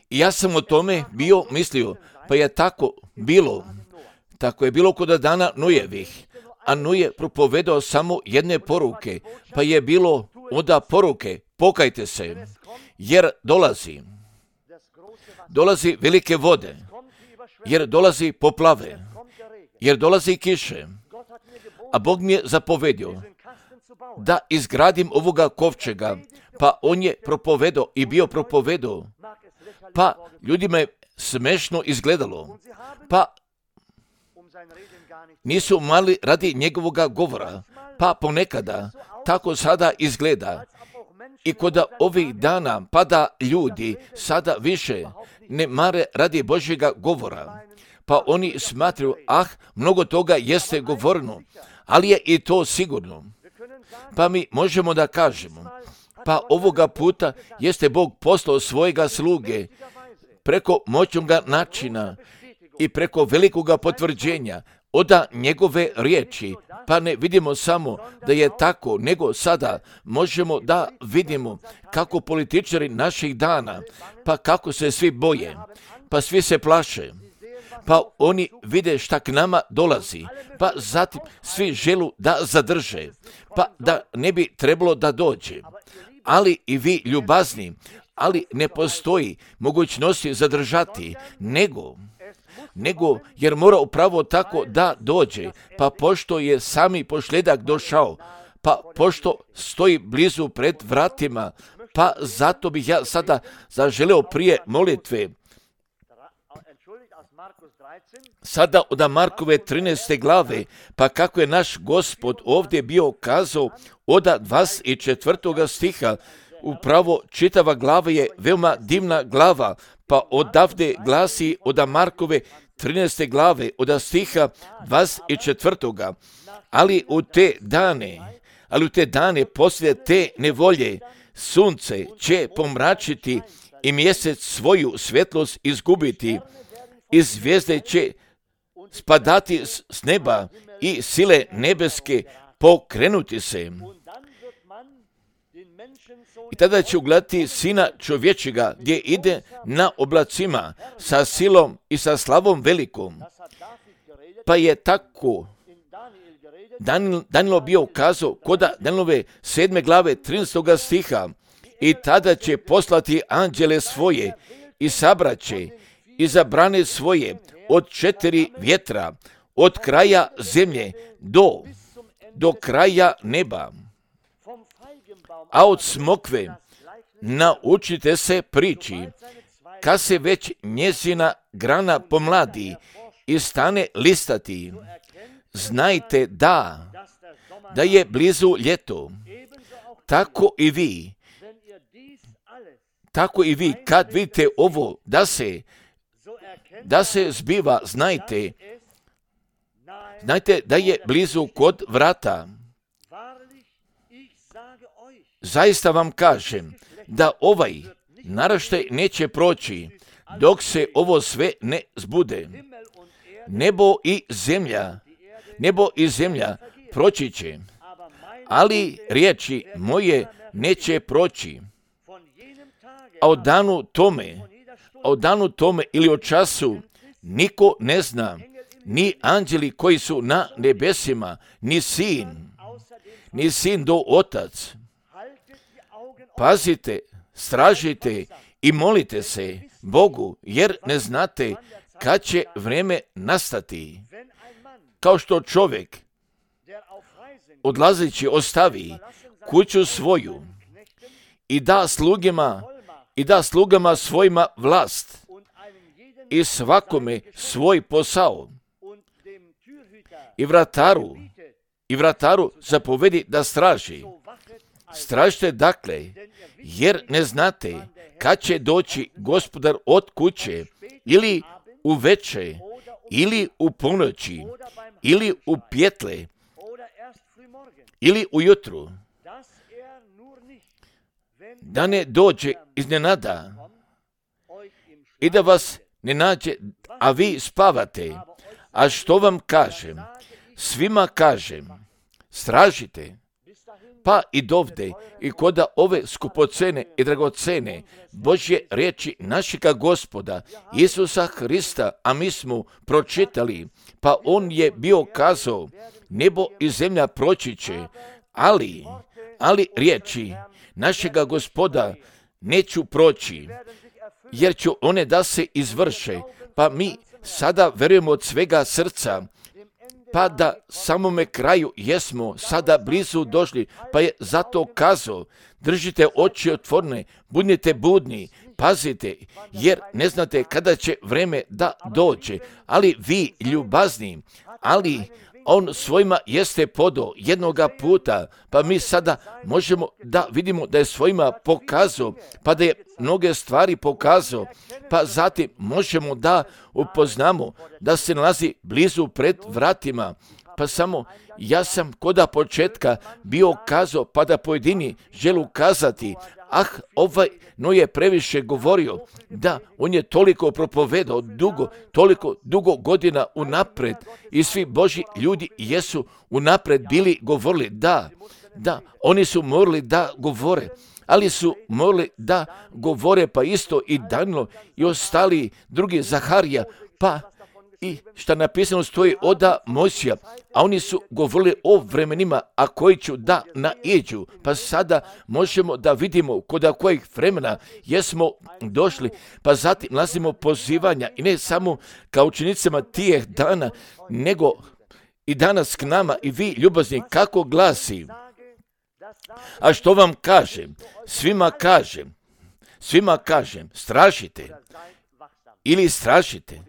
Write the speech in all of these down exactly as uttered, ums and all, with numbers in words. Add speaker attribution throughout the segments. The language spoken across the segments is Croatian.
Speaker 1: I ja sam o tome bio mislio, pa je tako bilo. Tako je bilo kod dana Nojevih. A Noje propovedao samo jedne poruke, pa je bilo onda poruke, pokajte se, jer dolazi. Dolazi velike vode, jer dolazi poplave, jer dolazi kiše. A Bog mi je zapovedio da izgradim ovoga kovčega, pa on je propovedao i bio propovedao, pa ljudima je smešno izgledalo, pa nisu mali radi njegovoga govora, pa ponekada tako sada izgleda. I kod ovih dana pada ljudi sada više ne mare radi Božjega govora, pa oni smatraju, ah, mnogo toga jeste govoreno, ali je i to sigurno. Pa mi možemo da kažemo, pa ovoga puta jeste Bog poslao svojega sluge preko moćnoga načina i preko velikoga potvrđenja od njegove riječi, pa ne vidimo samo da je tako, nego sada možemo da vidimo kako političari naših dana, pa kako se svi boje, pa svi se plaše, pa oni vide šta k nama dolazi, pa zatim svi želu da zadrže, pa da ne bi trebalo da dođe. Ali i vi ljubazni, ali ne postoji mogućnosti zadržati, nego... nego jer mora upravo tako da dođe, pa pošto je sami pošljedak došao, pa pošto stoji blizu pred vratima, pa zato bih ja sada zaželeo prije molitve. Sada od Markove trinaeste glave, pa kako je naš Gospod ovdje bio kazao od dvadeset četvrtog stiha, upravo čitava glava je veoma divna glava, pa odavde glasi od Markove trinaeste glave, od stiha dvadeset četvrtog. Ali u te dane, ali u te dane poslije te nevolje, sunce će pomračiti i mjesec svoju svjetlost izgubiti, i zvijezde će spadati s neba i sile nebeske pokrenuti se. I tada će ugledati Sina čovječega gdje ide na oblacima sa silom i sa slavom velikom. Pa je tako Danilo bio kazao kod Danilove sedme glave trinaestog stiha, i tada će poslati anđele svoje i sabraće i zabrane svoje od četiri vjetra, od kraja zemlje do, do kraja neba. A od smokve naučite se priči, kad se već njezina grana pomladi i stane listati. Znajte da, da je blizu ljeto. Tako i vi, tako i vi kad vidite ovo da se, da se zbiva, znajte, znajte da je blizu kod vrata. Zaista vam kažem da ovaj naraštaj neće proći dok se ovo sve ne zbude. Nebo i zemlja, nebo i zemlja proći će, ali riječi moje neće proći. A o danu tome, a o danu tome ili o času niko ne zna, ni anđeli koji su na nebesima, ni sin, ni sin do otac. Pazite, stražite i molite se Bogu, jer ne znate kad će vrijeme nastati. Kao što čovjek odlazeći ostavi kuću svoju i da slugima i da slugama svojima vlast i svakome svoj posao i vrataru i vrataru zapovedi da straži. Stražite dakle, jer ne znate kad će doći gospodar od kuće, ili u veče, ili u ponoći, ili u pjetle, ili ujutru, da ne dođe iznenada i da vas ne nađe, a vi spavate. A što vam kažem? Svima kažem, stražite, pa i dovde, i kod ove skupocene i dragocene Božje riječi našega Gospoda, Isusa Hrista, a mi smo pročitali, pa on je bio kazao, nebo i zemlja proći će, ali, ali riječi našega Gospoda neću proći, jer ću one da se izvrše, pa mi sada verujemo od svega srca, pa da samome kraju jesmo sada blizu došli, pa je zato kazao, držite oči otvorene, budite budni, pazite, jer ne znate kada će vreme da dođe, ali vi ljubazni, ali on svojima jeste podao jednoga puta, pa mi sada možemo da vidimo da je svojima pokazao, pa da je mnoge stvari pokazao, pa zatim možemo da upoznamo da se nalazi blizu pred vratima. Pa samo ja sam koda početka bio kazao, pa da pojedini želu kazati, ah, ovaj no je previše govorio, da on je toliko propovedao dugo, toliko dugo godina unapred i svi Božji ljudi jesu unapred bili govorili, da, da, oni su morali da govore, ali su morali da govore pa isto i Danilo i ostali drugi Zaharija, pa i šta napisano stoji oda Mojsija, a oni su govorili o vremenima, a koji ću da naiđu. Pa sada možemo da vidimo kod kojih vremena jesmo došli, pa zatim nalazimo pozivanja i ne samo kao učenicama tijeh dana, nego i danas k nama i vi ljubazni kako glasi. A što vam kažem? Svima kažem, svima kažem, strašite ili strašite.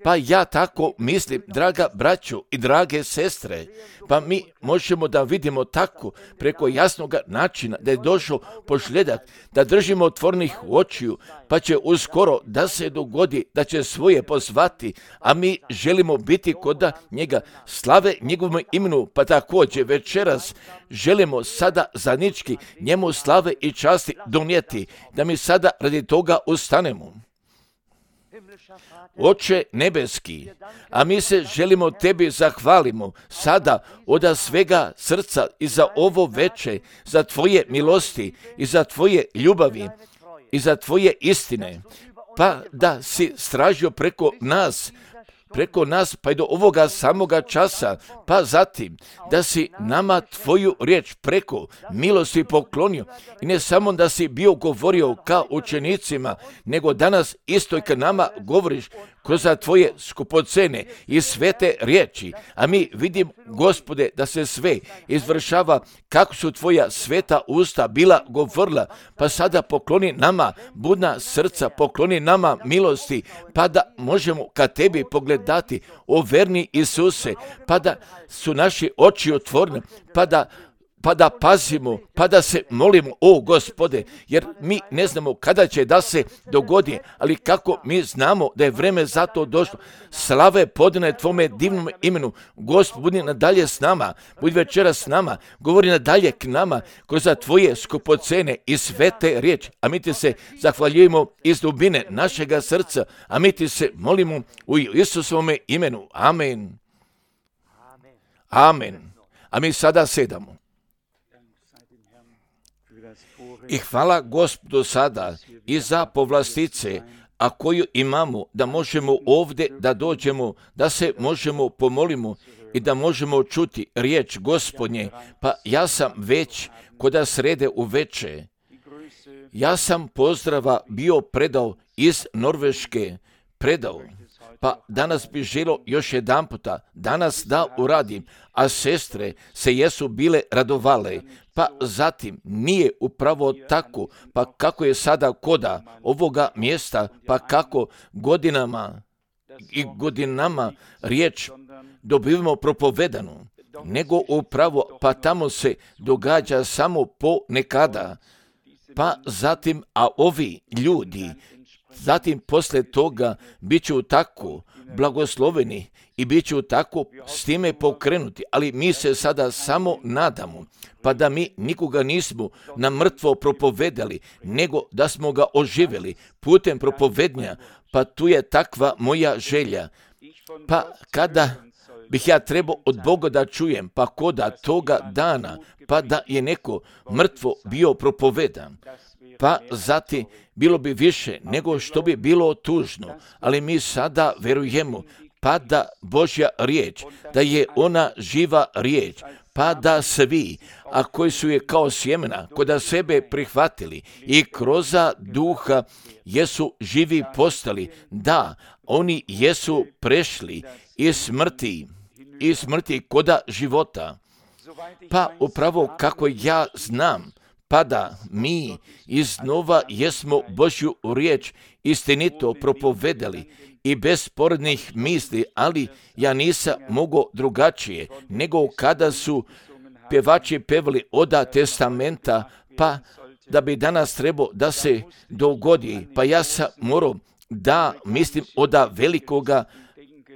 Speaker 1: Pa ja tako mislim, draga braćo i drage sestre, pa mi možemo da vidimo tako preko jasnog načina da je došao pošljedak, da držimo otvornih očiju, pa će uskoro da se dogodi da će svoje pozvati, a mi želimo biti kod njega, slave njegovom imenu, pa također večeras želimo sada zajednički njemu slave i časti donijeti, da mi sada radi toga ustanemo. Oče nebeski, a mi se želimo tebi zahvalimo sada od svega srca i za ovo veče, za tvoje milosti i za tvoje ljubavi i za tvoje istine, pa da si stražio preko nas, preko nas pa i do ovoga samoga časa, pa zatim da si nama tvoju riječ preko milosti poklonio i ne samo da si bio govorio kao učenicima, nego danas isto i kad nama govoriš kroz tvoje skupocene i svete riječi, a mi vidim, Gospode, da se sve izvršava kako su tvoja sveta usta bila govorila, pa sada pokloni nama budna srca, pokloni nama milosti, pa da možemo ka tebi pogledati, o verni Isuse, pa da su naši oči otvorene, pa da pa da pazimo, pa da se molimo, o Gospode, jer mi ne znamo kada će da se dogodi, ali kako mi znamo da je vreme za to došlo. Slave podane tvome divnom imenu. Gospod, budi nadalje s nama, budi večera s nama, govori nadalje k nama kroz tvoje skupocene i svete riječi, a mi ti se zahvaljujemo iz dubine našega srca, a mi ti se molimo u Isusovome imenu. Amen. Amen. A mi sada sedamo. I hvala Gospodu sada i za povlastice, a koju imamo da možemo ovdje da dođemo, da se možemo pomolimo i da možemo čuti riječ Gospodnje. Pa ja sam već koda srede u veče, ja sam pozdrava bio predao iz Norveške, predao. Pa danas bi želo još jedan puta, danas da uradim, a sestre se jesu bile radovale, pa zatim nije upravo tako, pa kako je sada koda ovoga mjesta, pa kako godinama i godinama riječ dobivamo propovedanu, nego upravo, pa tamo se događa samo po nekada, pa zatim, a ovi ljudi, zatim poslije toga bit ću tako blagosloveni i bit ću tako s time pokrenuti, ali mi se sada samo nadamo, pa da mi nikoga nismo na mrtvo propovedali, nego da smo ga oživjeli putem propovednja, pa tu je takva moja želja. Pa kada bih ja trebao od Boga da čujem, pa koda toga dana, pa da je neko mrtvo bio propovedan. Pa zatim bilo bi više nego što bi bilo tužno, ali mi sada verujemo, pa da Božja riječ, da je ona živa riječ, pa da svi, a koji su je kao sjemena koda sebe prihvatili i kroz duha jesu živi postali, da oni jesu prešli iz smrti, iz smrti koda života. Pa upravo kako ja znam, pa da mi iznova jesmo Božju riječ istinito propovedali i bez sporednih misli, ali ja nisam mogao drugačije, nego kada su pjevači pevali oda testamenta, pa da bi danas trebao da se dogodi, pa ja sam morao da mislim oda velikoga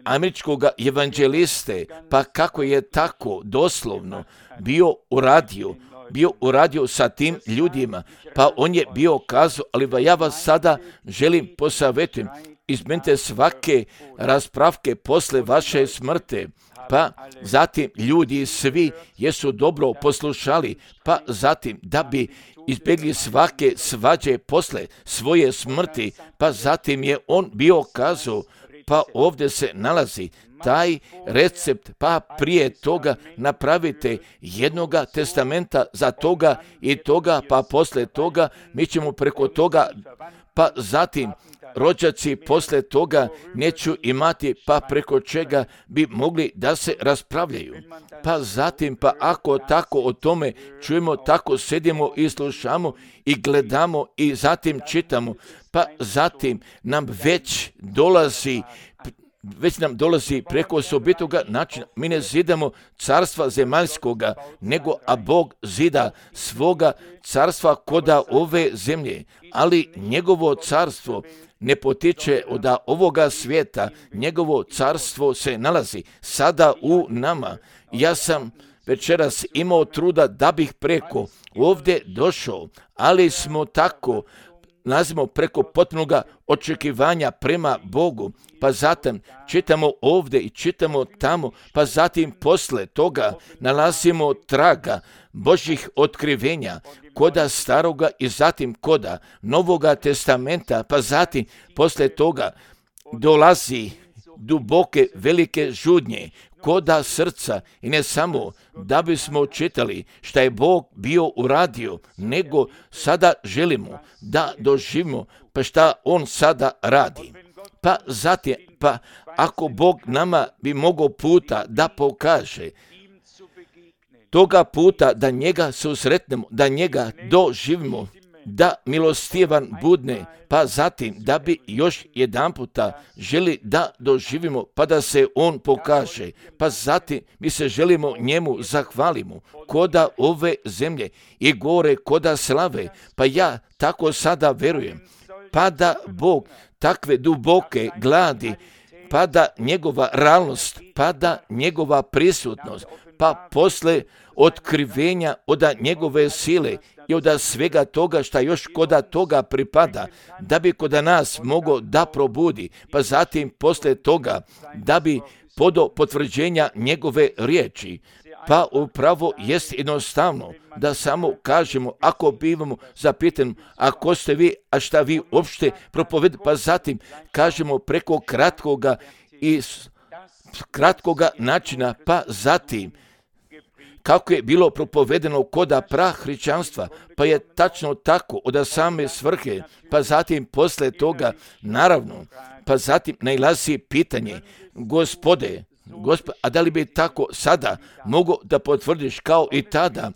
Speaker 1: američkoga evanđeliste, pa kako je tako doslovno bio uradio, bio uradio sa tim ljudima, pa on je bio kazao, ali ja vas sada želim posavjetujem, izmenite svake raspravke posle vaše smrte, pa zatim ljudi svi jesu dobro poslušali, pa zatim da bi izbjegli svake svađe posle svoje smrti, pa zatim je on bio kazao, pa ovdje se nalazi taj recept, pa prije toga napravite jednoga testamenta za toga i toga, pa posle toga mi ćemo preko toga, pa zatim rođaci posle toga neću imati, pa preko čega bi mogli da se raspravljaju. Pa zatim, pa ako tako o tome čujemo, tako sedimo i slušamo i gledamo i zatim čitamo, pa zatim nam već dolazi već nam dolazi preko osobitoga načina. Mi ne zidamo carstva zemaljskoga, nego a Bog zida svoga carstva koda ove zemlje, ali njegovo carstvo ne potiče od ovoga svijeta, njegovo carstvo se nalazi sada u nama. Ja sam večeras imao truda da bih preko ovdje došao, ali smo tako nazimo preko potpunoga očekivanja prema Bogu, pa zatim čitamo ovdje i čitamo tamo, pa zatim posle toga nalazimo traga Božjih otkrivenja koda staroga i zatim koda Novoga testamenta, pa zatim posle toga dolazi duboke velike žudnje koda srca i ne samo da bismo čitali šta je Bog bio uradio, nego sada želimo da doživimo pa šta On sada radi. Pa zatim, pa ako Bog nama bi mogao puta da pokaže, toga puta da njega susretnemo, da njega doživimo, da milostivan budne, pa zatim da bi još jedan puta želi da doživimo, pa da se on pokaže, pa zatim mi se želimo njemu zahvalimo, koda ove zemlje i gore koda slave, pa ja tako sada verujem, pa da Bog takve duboke gladi, pa da njegova realnost, pa da njegova prisutnost, pa posle otkrivenja od njegove sile i od svega toga šta još koda toga pripada, da bi koda nas mogao da probudi, pa zatim posle toga da bi podo potvrđenja njegove riječi. Pa upravo jest jednostavno da samo kažemo, ako bivamo zapitani, a ko ste vi, a šta vi uopšte propovedate, pa zatim kažemo preko kratkoga i kratkoga načina, pa zatim kako je bilo propovedeno koda prahrišćanstva, pa je tačno tako od same svrhe, pa zatim posle toga, naravno, pa zatim nailazi pitanje, Gospode, Gospod, a da li bi tako sada mogo da potvrdiš kao i tada?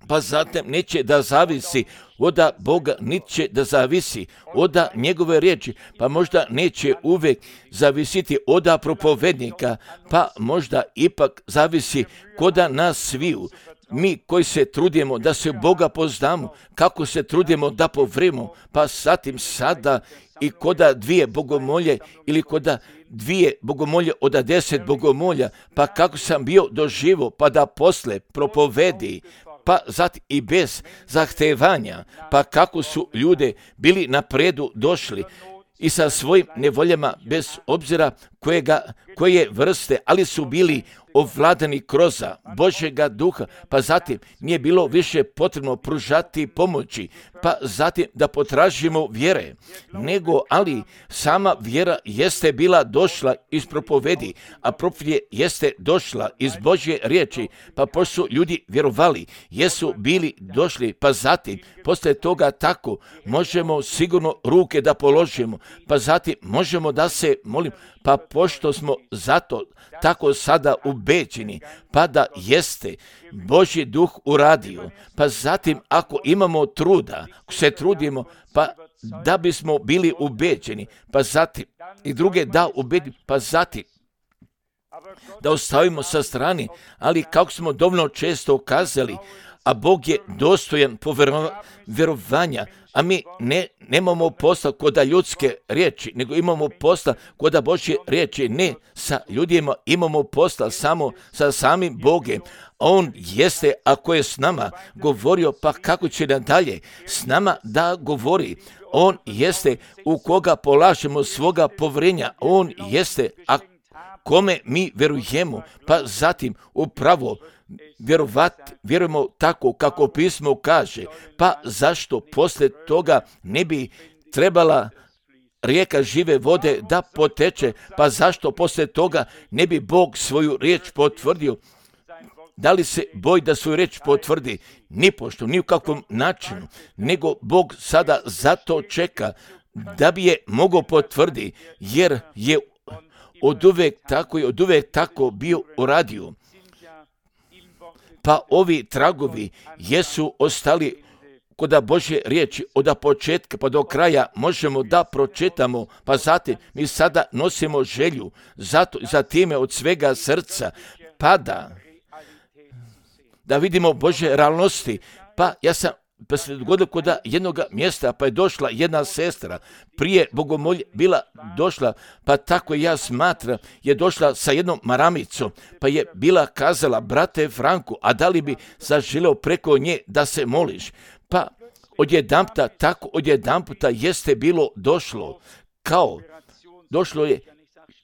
Speaker 1: Pa zatim neće da zavisi od Boga, neće da zavisi od njegove riječi, pa možda neće uvijek zavisiti od propovednika, pa možda ipak zavisi koda nas sviju. Mi koji se trudimo da se Boga poznamo, kako se trudimo da povrimo, pa zatim sada i koda dvije bogomolje ili koda dvije bogomolje od deset bogomolja, pa kako sam bio doživo, pa da posle propovedi, pa zatim i bez zahtevanja, pa kako su ljude bili napredu došli i sa svojim nevoljama bez obzira kojega, koje vrste, ali su bili ovladani kroz Božjega duha, pa zatim nije bilo više potrebno pružati pomoći, pa zatim da potražimo vjere, nego ali sama vjera jeste bila došla iz propovedi, a propovjed jeste došla iz Božje riječi, pa pošto su ljudi vjerovali, jesu bili došli, pa zatim poslije toga tako možemo sigurno ruke da položimo, pa zatim možemo da se molimo, pa pošto smo zato tako sada ubeđeni, pa da jeste Božji duh uradio, pa zatim ako imamo truda, ako se trudimo, pa da bismo bili ubeđeni, pa zatim i druge da ubeđeni, pa zatim da ostavimo sa strane, ali kako smo dovoljno često kazali, a Bog je dostojan povjerovanja, a mi ne, nemamo posla koda ljudske riječi, nego imamo posla koda Božje riječi, ne sa ljudima, imamo posla samo sa samim Bogem. On jeste, ako je s nama govorio, pa kako će nadalje s nama da govori. On jeste u koga polažemo svoga povjerenja, on jeste, a kome mi vjerujemo, pa zatim upravo vjerovat, vjerujemo tako kako pismo kaže, pa zašto poslije toga ne bi trebala rijeka žive vode da poteče, pa zašto poslije toga ne bi Bog svoju riječ potvrdio? Da li se boji da svoju riječ potvrdi? Nipošto, ni u kakvom načinu, nego Bog sada zato čeka da bi je mogao potvrdi, jer je od uvek tako i od uvek tako bio uradio. Pa ovi tragovi jesu ostali koda Božje riječi od početka pa do kraja možemo da pročitamo, pa zatim mi sada nosimo želju zato, za time od svega srca pada da vidimo Božje realnosti. Pa ja sam pa se dogodilo kod jednog mjesta, pa je došla jedna sestra, prije bogomolje bila došla, pa tako ja smatram, je došla sa jednom maramicom, pa je bila kazala, brate Franku, a da li bi zaželeo preko nje da se moliš? Pa odjedanputa, tako odjedanputa jeste bilo došlo, kao došlo je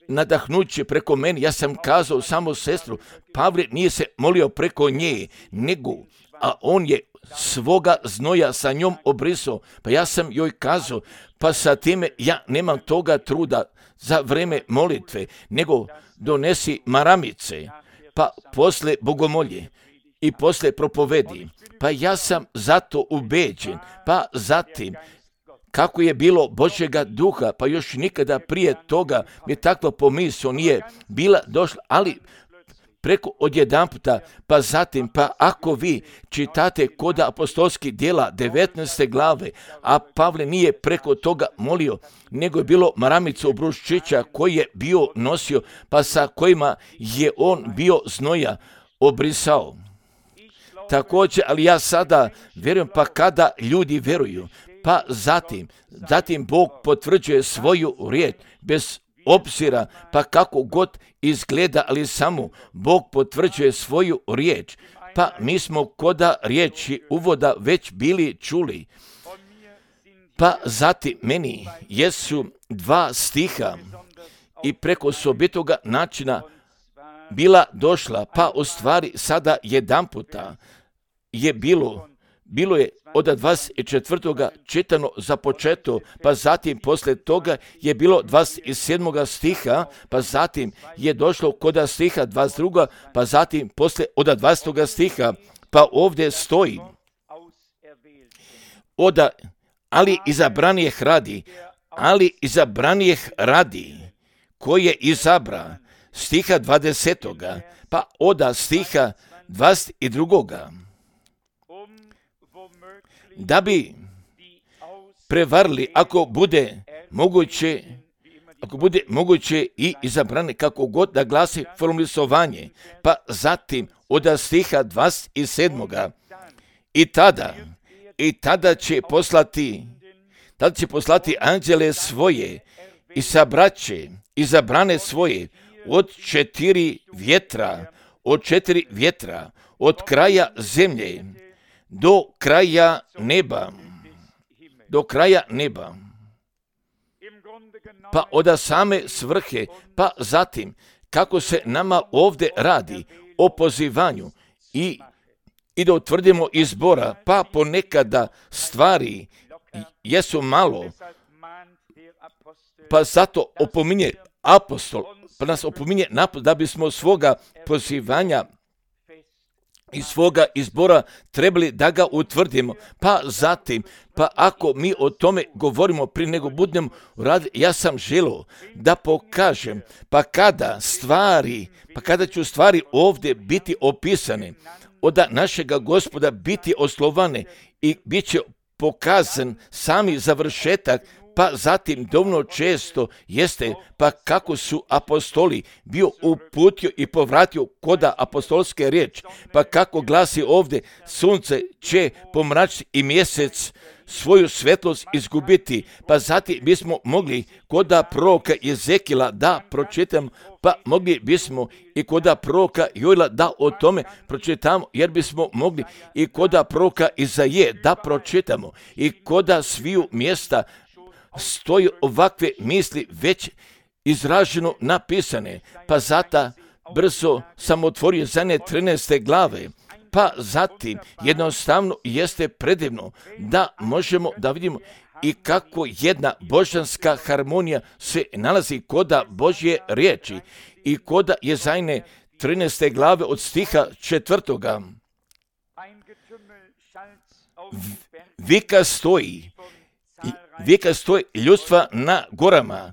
Speaker 1: nadahnuće preko meni. Ja sam kazao samo sestru, Pavle nije se molio preko nje, nego, a on je svoga znoja sa njom obrisao, pa ja sam joj kazao, pa sa time ja nemam toga truda za vreme molitve, nego donesi maramice, pa posle bogomolje i posle propovedi, pa ja sam zato ubeđen, pa zatim kako je bilo Božjega duha, pa još nikada prije toga mi takva pomisao nije bila došla, ali preko odjedanputa, pa zatim, pa ako vi čitate kod apostolskih djela devetnaeste glave, a Pavle nije preko toga molio, nego je bilo maramicu obruščića koji je bio nosio, pa sa kojima je on bio znoja obrisao. Također, ali ja sada vjerujem, pa kada ljudi vjeruju, pa zatim, zatim Bog potvrđuje svoju riječ bez obzira, pa kako god izgleda, ali samo Bog potvrđuje svoju riječ. Pa mi smo koda riječi uvoda već bili čuli. Pa zatim meni jesu dva stiha i preko sobitoga načina bila došla, pa u stvari sada jedanputa je bilo, bilo je od dvadeset četvrtoga čitano za početo, pa zatim poslije toga je bilo dvadeset sedmoga stiha, pa zatim je došlo kod stiha dvadeset drugog pa zatim poslije od dvadesetoga stiha, pa ovdje stoji oda, ali izabranijeh radi, ali izabranijeh radi, koji je izabra, stiha dvadesetoga pa oda stiha dvadeset drugoga da bi prevarili, ako bude moguće, ako bude moguće i izabrane, kako god da glasi formulisovanje, pa zatim od stiha dvadeset sedmoga i tada, i tada će poslati, tada će poslati anđele svoje i sabraće izabrane svoje od četiri vjetra, od četiri vjetra, od kraja zemlje do kraja neba, do kraja neba. pa od same svrhe, pa zatim kako se nama ovdje radi o pozivanju i, i da utvrdimo izbora, pa ponekada stvari jesu malo, pa zato opominje apostol, pa nas opominje da bismo svoga pozivanja i svoga izbora trebali da ga utvrdimo. Pa zatim, pa ako mi o tome govorimo prije nego budemo raditi, ja sam želio da pokažem, pa kada stvari, pa kada ću stvari ovdje biti opisane, od našega Gospoda biti oslovane i bit će pokazan sami završetak, pa zatim dovoljno često jeste pa kako su apostoli bio uputio i povratio koda apostolske riječi, pa kako glasi ovdje, sunce će pomračiti i mjesec svoju svetlost izgubiti, pa zatim bismo mogli koda proroka Jezekila da pročitamo, pa mogli bismo i koda proroka Joela da o tome pročitamo, jer bismo mogli i koda proroka Izaije da pročitamo i koda sviju mjesta stoji ovakve misli već izraženo napisane, pa zato brzo sam otvorio zadnje trinaeste glave, pa zatim jednostavno jeste predivno da možemo da vidimo i kako jedna božanska harmonija se nalazi koda Božje riječi i koda Jezajne trinaeste glave od stiha četvrtoga. Vika stoji, vika stoji ljudstva na gorama,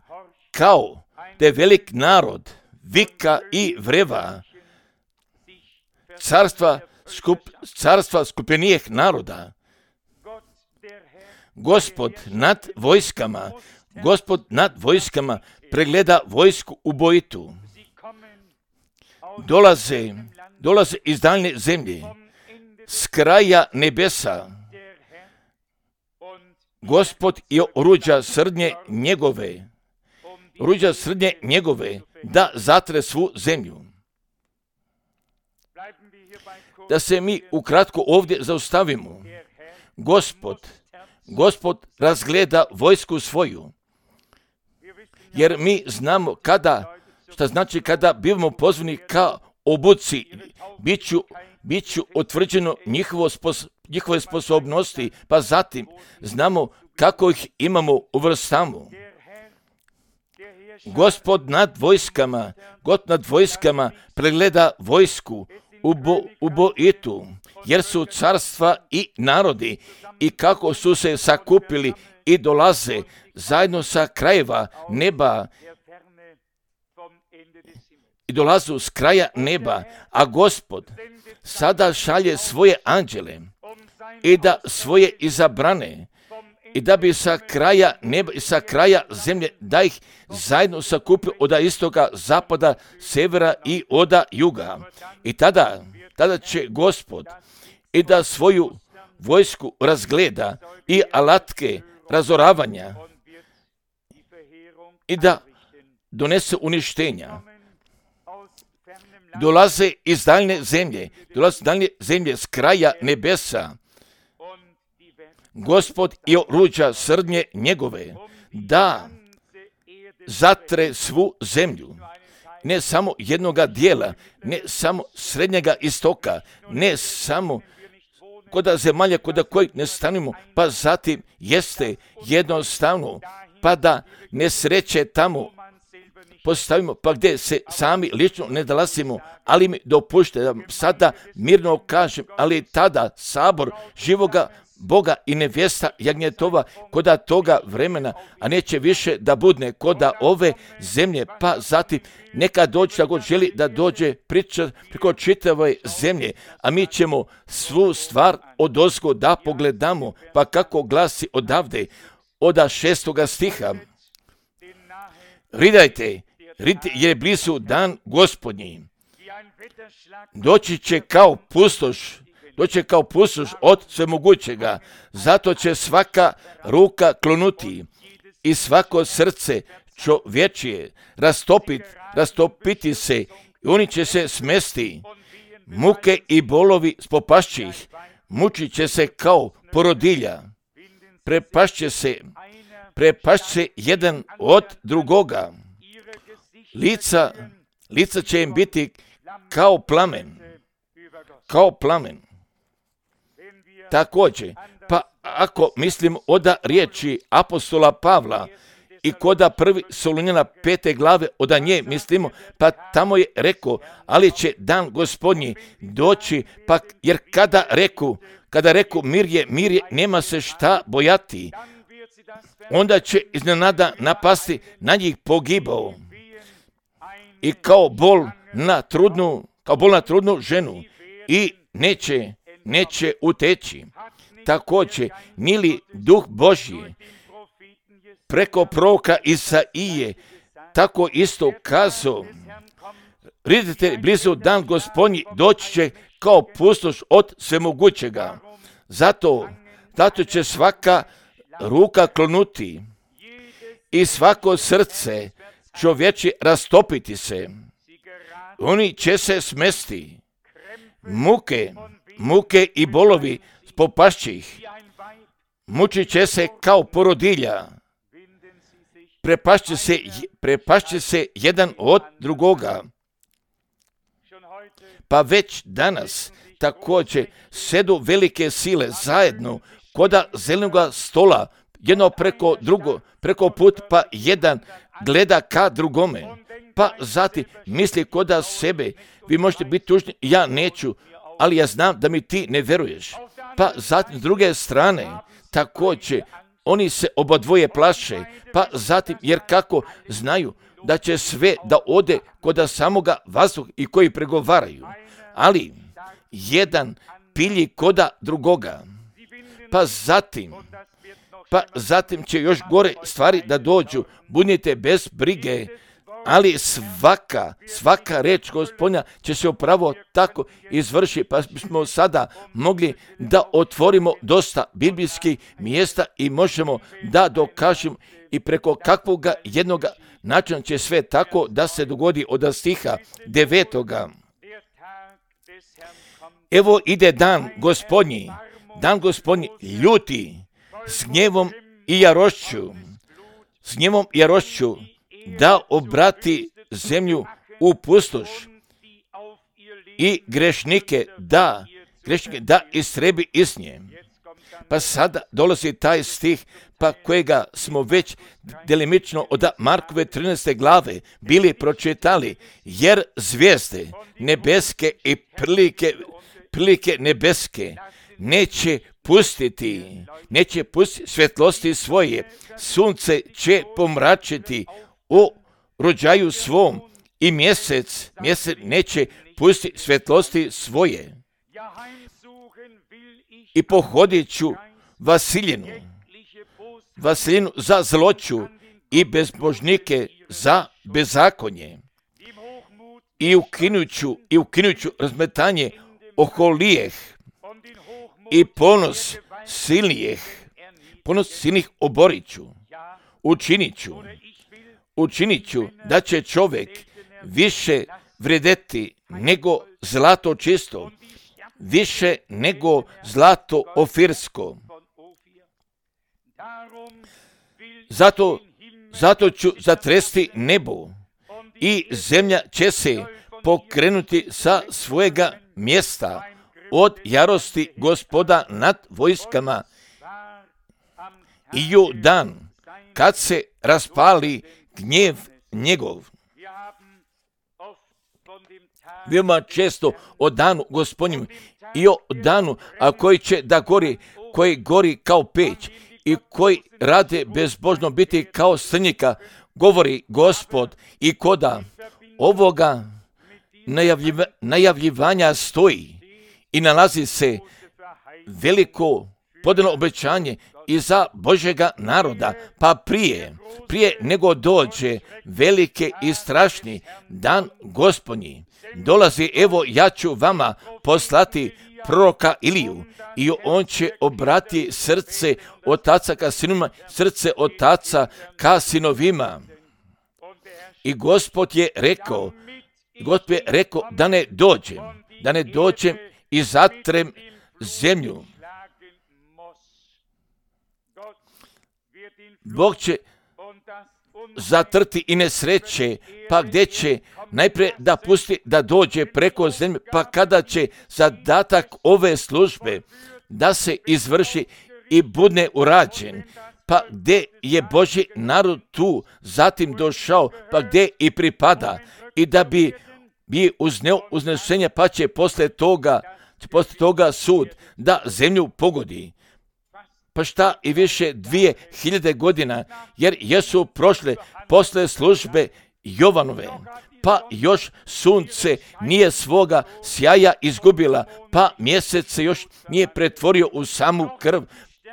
Speaker 1: kao da je velik narod, vika i vreva, carstva, skup, carstva skupljenijeg naroda. Gospod nad vojskama, Gospod nad vojskama pregleda vojsku ubojitu. Dolaze, dolaze iz daljne zemlje, s kraja nebesa. Gospod je oruđa srdnje njegove, oruđa srdnje njegove, da zatre svu zemlju. Da se mi ukratko ovdje zaustavimo. Gospod, Gospod razgleda vojsku svoju, jer mi znamo kada, šta znači kada bivamo pozvani ka obuci, bit ću, bit ću utvrđeno njihovo spos, njihove sposobnosti, pa zatim znamo kako ih imamo uvrstamo. Gospod nad vojskama, God nad vojskama pregleda vojsku ubo, ubojitu, jer su carstva i narodi i kako su se sakupili i dolaze zajedno sa krajeva neba i dolazu s kraja neba, a Gospod sada šalje svoje anđele i da svoje izabrane i da bi sa kraja neba i sa kraja zemlje da ih zajedno sakupio od istoga, zapada, severa i od juga. I tada, tada će Gospod i da svoju vojsku razgleda i alatke razoravanja i da donese uništenja. Dolaze iz daljne zemlje, dolaze iz daljne zemlje s kraja nebesa. Gospod je oruđa srdnje njegove, da zatre svu zemlju. Ne samo jednoga dijela, ne samo srednjega istoka, ne samo koda zemalja koda koji ne stanimo, pa zatim jeste jednostavno, pa da nesreće tamo postavimo, pa gdje se sami lično ne dolazimo, ali mi dopušte da sada mirno kažem, ali tada sabor živoga Boga i nevjesta jagnjetova koda toga vremena, a neće više da budne koda ove zemlje, pa zatim neka dođe da god želi da dođe priča preko čitave zemlje, a mi ćemo svu stvar odozgo da pogledamo, pa kako glasi odavde, od šestoga stiha. Ridajte, ridajte jer je blizu dan Gospodnji. Doći će kao pustoš, doće kao pustoš od svemogućega, zato će svaka ruka klonuti i svako srce čovječije rastopit, rastopiti se i oni će se smesti. Muke i bolovi spopašće ih, mučit će se kao porodilja, prepašće se, prepašće jedan od drugoga. Lica, lica će im biti kao plamen, kao plamen. Također, pa ako mislim oda riječi apostola Pavla i koda prvi Solunjana pete glave oda nje mislimo, pa tamo je rekao, ali će dan Gospodnji doći, pa jer kada reku, kada reku mir je, mir je, nema se šta bojati, onda će iznenada napasti na njih pogibao i kao bol na trudnu, kao bol na trudnu ženu i neće, neće uteći. Također, nili Duh Božji preko proroka Isaije tako isto kazao, vidite blizu dan Gospodnji doći će kao pustoš od svemogućega. Zato, zato će svaka ruka klonuti i svako srce čovječe rastopiti se. Oni će se smesti. Muke, muke i bolovi popašće ih. Mučit će se kao porodilja. Prepašće se, prepašće se jedan od drugoga. Pa već danas također sedu velike sile zajedno koda zelenog stola, jedno preko drugo, preko put, pa jedan gleda ka drugome. Pa zatim misli koda sebe, vi možete biti tužni, ja neću, ali ja znam da mi ti ne veruješ. Pa zatim s druge strane, također, oni se obadvoje plaše, pa zatim, jer kako znaju da će sve da ode koda samoga vazduha i koji pregovaraju, ali jedan pilji koda drugoga. Pa zatim, pa zatim će još gore stvari da dođu, budite bez brige, ali svaka, svaka reč Gospodnja će se upravo tako izvršiti, pa smo sada mogli da otvorimo dosta biblijskih mjesta i možemo da dokažemo i preko kakvoga jednoga načina će sve tako da se dogodi od stiha devetoga. Evo ide dan Gospodnji, dan Gospodnji ljuti s gnjevom i jarošću, s gnjevom i jarošću, da obrati zemlju u pustoš i grešnike da, grešnike da istrebi iz nje. Pa sada dolazi taj stih, pa kojega smo već delimično od Markove trinaeste glave bili pročitali, jer zvijezde nebeske i prilike, prilike nebeske neće pustiti, neće pustiti svjetlosti svoje, sunce će pomračiti u rođaju svom i mjesec, mjesec neće pustiti svjetlosti svoje. I pohodit ću Vasiljinu, Vasiljinu za zloću i bezbožnike za bezakonje. I ukinut ću, i ukinut ću razmetanje oholijeh i ponos silnijeh, ponos silnih oborit ću, učinit ću, učinit ću da će čovjek više vredeti nego zlato čisto, više nego zlato ofirsko. Zato, zato ću zatresti nebo i zemlja će se pokrenuti sa svojega mjesta od jarosti Gospoda nad vojskama i u dan kad se raspali gnjev njegov. Veoma često o danu Gospodnjem i o danu a koji će da gori, koji gori kao peć i koji rade bezbožno biti kao srnjika, govori Gospod i koda ovoga najavljiva, najavljivanja stoji i nalazi se veliko podano obećanje i za Božjega naroda, pa prije, prije nego dođe velike i strašni dan Gospodnji, dolazi, evo ja ću vama poslati proroka Iliju i on će obrati srce otaca ka sinovima, srce otaca ka sinovima. I Gospod je rekao, Gospod je rekao da ne dođem, da ne dođem i zatrem zemlju. Bog će zatrti i nesreće, pa gdje će najprije da pusti da dođe preko zemlje, pa kada će zadatak ove službe da se izvrši i bude urađen, pa gdje je Božji narod tu zatim došao, pa gdje i pripada, i da bi bi uzneo uznešenje, pa će poslije toga, poslije toga sud da zemlju pogodi. Pa šta i više dvije hiljade godina, jer jesu prošle posle službe Jovanove, pa još sunce nije svoga sjaja izgubila, pa mjesec se još nije pretvorio u samu krv,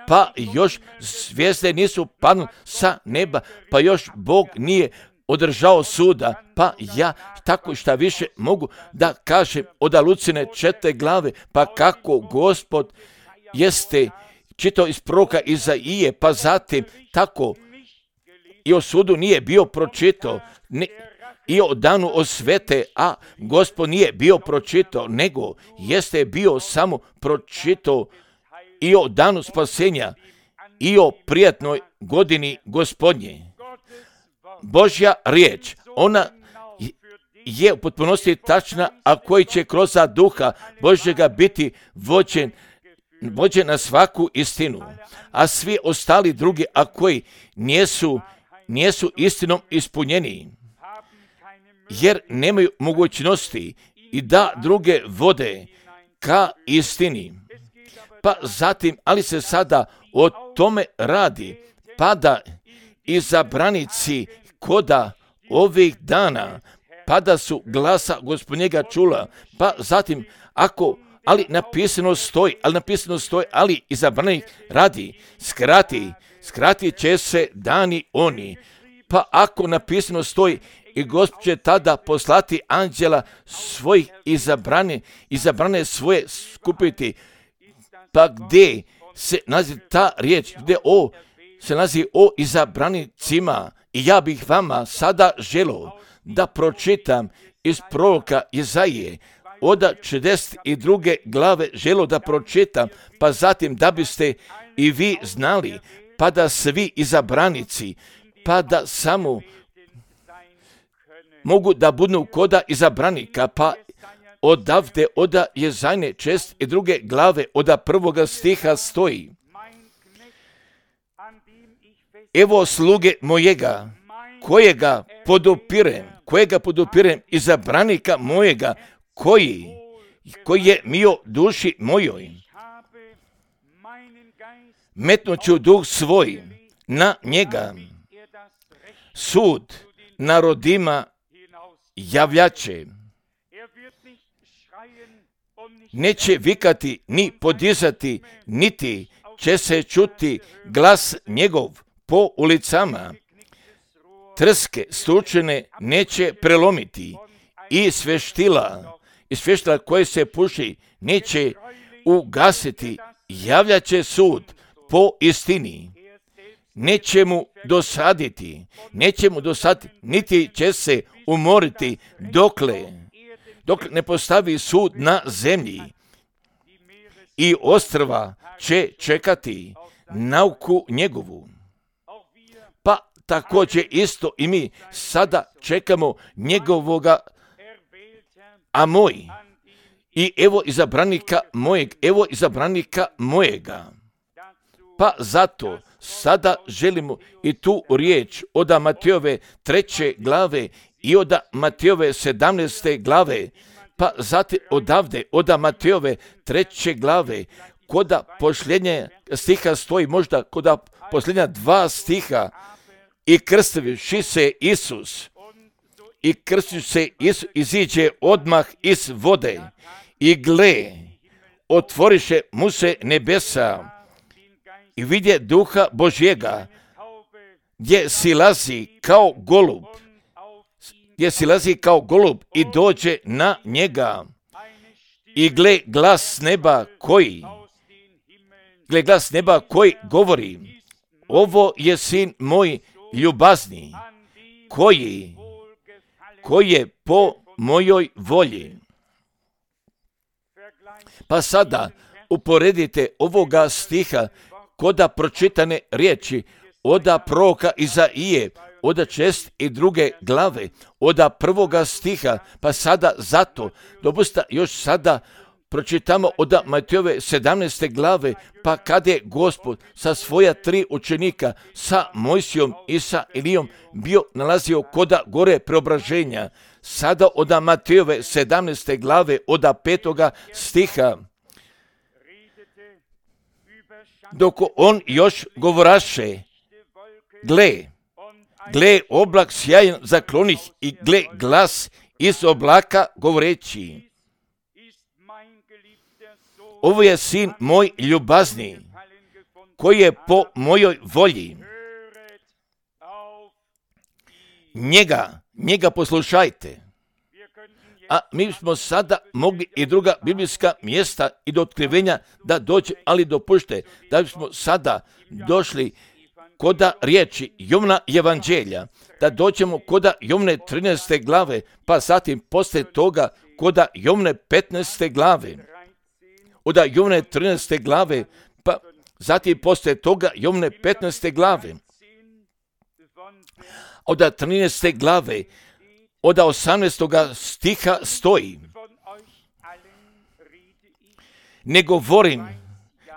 Speaker 1: pa još zvijezde nisu padnule sa neba, pa još Bog nije održao suda, pa ja tako šta više mogu da kažem od Lucine četiri glave, pa kako Gospod jeste čitao iz proroka Izaije, pa zatim tako i o sudu nije bio pročitao, ne, i o danu osvete, a Gospod nije bio pročitao, nego jeste bio samo pročitao i o danu spasenja i o prijatnoj godini Gospodnje. Božja riječ, ona je u potpunosti tačna, a koji će kroz duha Božjega biti vođen, vođen na svaku istinu, a svi ostali drugi, a koji nijesu, nijesu istinom ispunjeni, jer nemaju mogućnosti i da druge vode ka istini. Pa zatim, ali se sada o tome radi, pa da izabranici koda ovih dana, pa da su glasa Gospodnjega čula, pa zatim, ako, ali napisano stoji, ali napisano stoji, ali izabranih radi, skrati, skrati će se dani oni, pa ako napisano stoji, i Gospod će tada poslati anđela svojih izabrane, izabrane svoje skupiti, pa gdje se nalazi ta riječ, gdje o, se nalazi o izabranicima, i ja bih vama sada želio da pročitam iz proroka Izaije, od četrdeset druge glave želio da pročitam, pa zatim da biste i vi znali, pa da svi izabranici, pa da samo mogu da budu koda izabranika, pa odavde oda Jezajne čest i druge glave oda prvoga stiha stoji: evo sluge mojega, kojega podupirem, kojega podupirem, izabranika mojega, koji, koji je mio duši mojoj. Metnuću duh svoj na njega, sud narodima javljaće. Neće vikati ni podizati, niti će se čuti glas njegov po ulicama. Trske stučene neće prelomiti i sveštila, i sveštila koje se puši neće ugasiti. Javljaće sud po istini. Neće mu dosaditi, neće mu dosaditi, niti će se umoriti dokle, dok ne postavi sud na zemlji. I ostrva će čekati nauku njegovu. Pa također isto i mi sada čekamo njegovoga, a moj, i evo izabranika mojeg, evo izabranika mojega. Pa zato sada želimo i tu riječ od Matejove treće glave i od Matejove sedamnaeste glave, pa zatim odavde od Matejove treće glave, koda posljednje stiha stoji, možda koda posljednja dva stiha, i krstiviši se Isus, i krstiviši se Isus iziđe odmah iz vode, i gle, otvoriše mu se nebesa, i vidje duha Božjega, gdje silazi kao golub, gdje silazi kao golub i dođe na njega. I gle glas neba koji, gle glas neba koji govori: ovo je sin moj ljubazni, koji, koji je po mojoj volji. Pa sada uporedite ovoga stiha koda pročitane riječi oda proroka Izaije, oda čest i druge glave, oda prvoga stiha, pa sada zato, dopusta još sada pročitamo od Matejove sedamnaeste glave, pa kada je Gospod sa svoja tri učenika, sa Mojsijom i sa Elijom, bio nalazio koda gore preobraženja. Sada od Matejove sedamnaeste glave, od petoga stiha, dok on još govoraše, gle, gle oblak sjajan zaklonih i gle glas iz oblaka govoreći, ovo je sin moj ljubazni, koji je po mojoj volji. Njega, njega poslušajte. A mi smo sada mogli i druga biblijska mjesta i do otkrivenja da dođe, ali dopušte da bismo sada došli koda riječi Jovna evanđelja, da dođemo koda Jovne trinaeste glave, pa zatim poslije toga koda Jovne petnaeste glave. Od Jovne trinaeste glave, pa zatim poslije toga Jovne petnaeste glave. Od trinaeste glave, od osamnaestoga stiha stoji, ne govorim,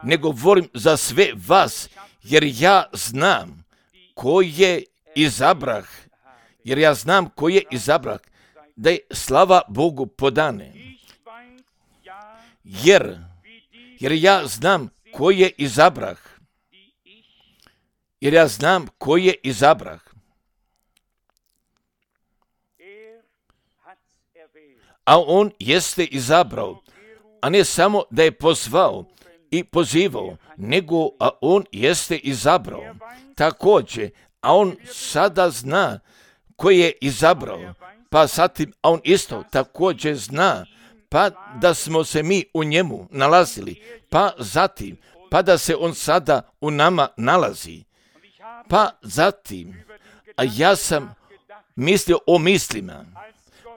Speaker 1: ne govorim za sve vas, jer ja znam ko je izabrah, jer ja znam ko je izabrah, da je slava Bogu podane. Jer, jer ja znam ko je izabrah, jer ja znam ko je izabrah. A on jeste izabrao, a ne samo da je pozvao i pozivao, nego a on jeste izabrao. Također, a on sada zna ko je izabrao, pa zatim, a on isto također zna, pa da smo se mi u njemu nalazili, pa zatim, pa da se on sada u nama nalazi, pa zatim, a ja sam mislio o mislima,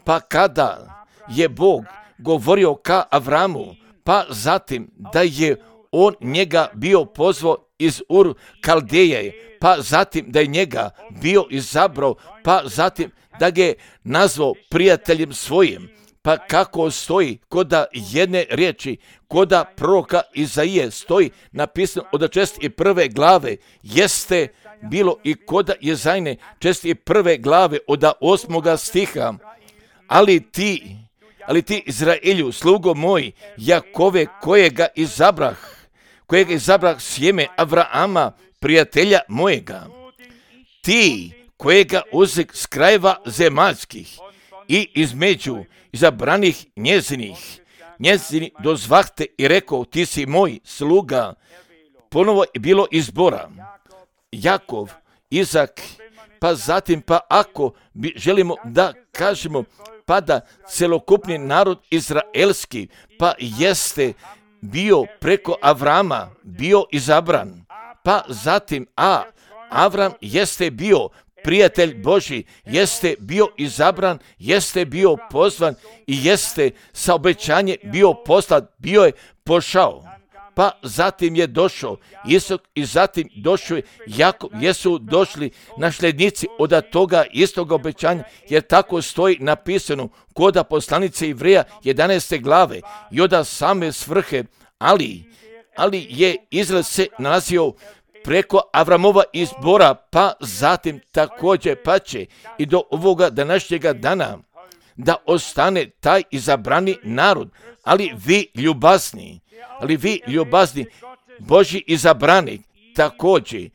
Speaker 1: pa kada je Bog govorio ka Avramu, pa zatim da je on njega bio pozvao iz Ur Kaldeje, pa zatim da je njega bio izabrao, pa zatim da ga je nazvao prijateljem svojim, pa kako stoji koda jedne riječi, koda proroka Izaije stoji napisano od čest i prve glave, jeste bilo i koda Jezajne čest i prve glave od osmoga stiha, ali ti, ali ti Izraelju, slugo moj, Jakove, kojega izabrah, kojega izabrah sjeme Avrama, prijatelja mojega, ti kojega uzek s krajeva zemaljskih i između izabranih njezinih, njezini dozvahte i rekao, ti si moj sluga. Ponovo je bilo izbora. Jakov, Izak, pa zatim, pa ako bi želimo da kažemo, pa da celokupni narod izraelski, pa jeste bio preko Avrama, bio izabran, pa zatim, a Avram jeste bio prijatelj Božji, jeste bio izabran, jeste bio pozvan i jeste sa obećanje bio poslat, bio je pošao. Pa zatim je došao Isak i zatim došao je Jakov, jesu došli nasljednici od toga istog obećanja, jer tako stoji napisano koda poslanice Ivreja jedanaeste glave i od same svrhe, ali, ali je Izrael se nalazio preko Avramova izbora, pa zatim također pa će i do ovoga današnjega dana da ostane taj izabrani narod, ali vi ljubazni, ali vi ljubazni, Božji izabrani također,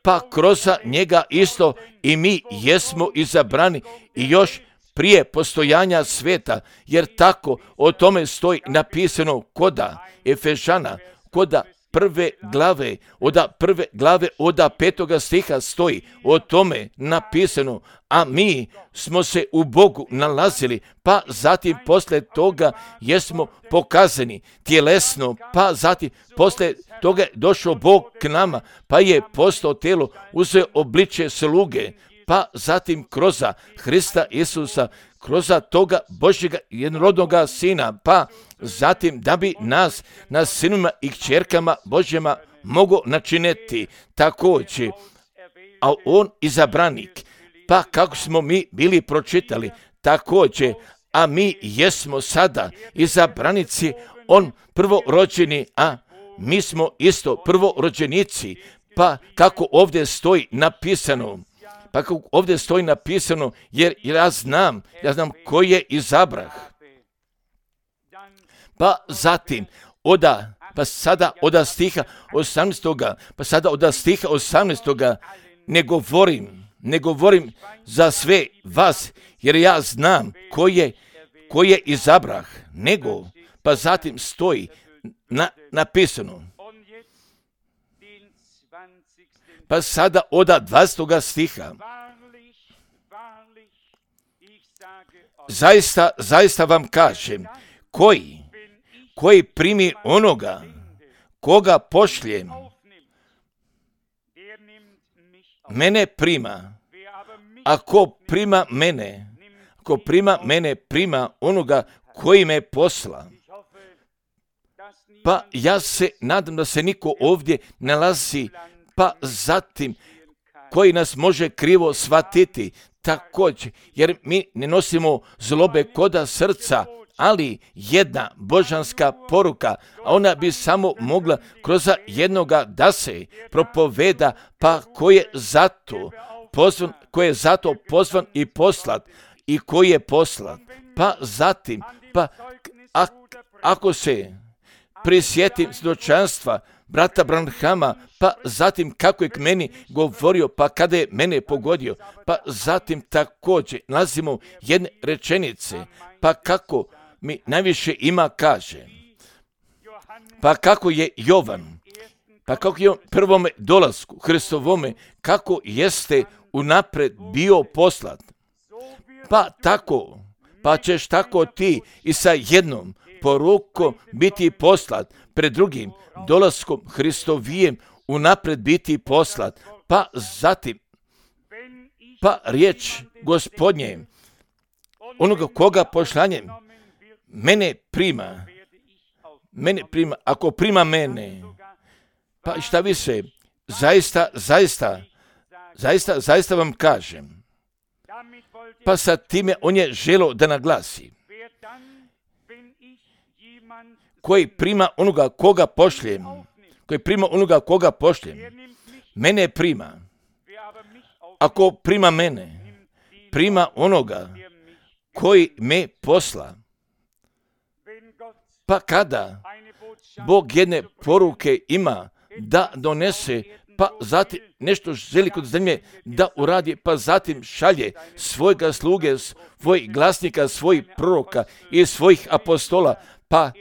Speaker 1: pa kroz njega isto i mi jesmo izabrani i još prije postojanja sveta, jer tako o tome stoji napisano koda Efežana, koda prve glave, od prve glave, od petoga stiha stoji o tome napisano, a mi smo se u Bogu nalazili, pa zatim posle toga jesmo pokazani tjelesno, pa zatim posle toga je došao Bog k nama, pa je postao tijelo, uzeo obličje sluge, pa zatim kroz Hrista Isusa, kroz toga Božjega jednorodnoga Sina, pa zatim da bi nas na sinovima i kćerkama Božjima mogo načiniti također, a on izabranik. Pa kako smo mi bili pročitali, također, a mi jesmo sada izabranici, on prvorođeni, a mi smo isto prvorođenici. Pa kako ovdje stoji napisano, pa kako ovdje stoji napisano, jer ja znam, ja znam ko je izabrah. Pa zatim, oda, pa sada oda stiha osamnaestoga, pa sada oda stiha osamnaestoga, ne govorim, ne govorim za sve vas, jer ja znam ko je, ko je izabrah, nego, pa zatim stoji na, napisano. Pa sada oda dvadesetoga stiha. Zaista, zaista vam kažem, koji, koji primi onoga, koga pošljem, mene prima. Ako prima mene, ako prima mene, prima onoga koji me posla. Pa ja se nadam da se niko ovdje nalazi, pa zatim koji nas može krivo shvatiti također, jer mi ne nosimo zlobe koda srca, ali jedna božanska poruka, a ona bi samo mogla kroz jednoga da se propoveda, pa ko je zato pozvan, ko je zato pozvan i poslat, i koji je poslat. Pa zatim, pa a, ako se prisjetim svjedočanstva brata Branhama, pa zatim kako je k meni govorio, pa kada je mene pogodio, pa zatim također nalazimo jedne rečenice, pa kako mi najviše ima kaže, pa kako je Jovan, pa kako je on prvome dolasku Hristovome, kako jeste unapred bio poslat, pa tako, pa ćeš tako ti i sa jednom porukom biti poslat, pred drugim dolaskom Hristovijem unapred biti poslat, pa zatim, pa riječ Gospodnje, onoga koga pošlanjem, mene prima, mene prima, ako prima mene, pa šta više, zaista, zaista, zaista, zaista vam kažem, pa sa time on je želio da naglasi, koji prima onoga koga pošljem, koji prima onoga koga pošljem, mene prima. Ako prima mene, prima onoga koji me posla. Pa kada Bog jedne poruke ima da donese, pa zatim nešto želi kod zemlje da uradi, pa zatim šalje svojega sluge, svojih glasnika, svojih proroka i svojih apostola, pa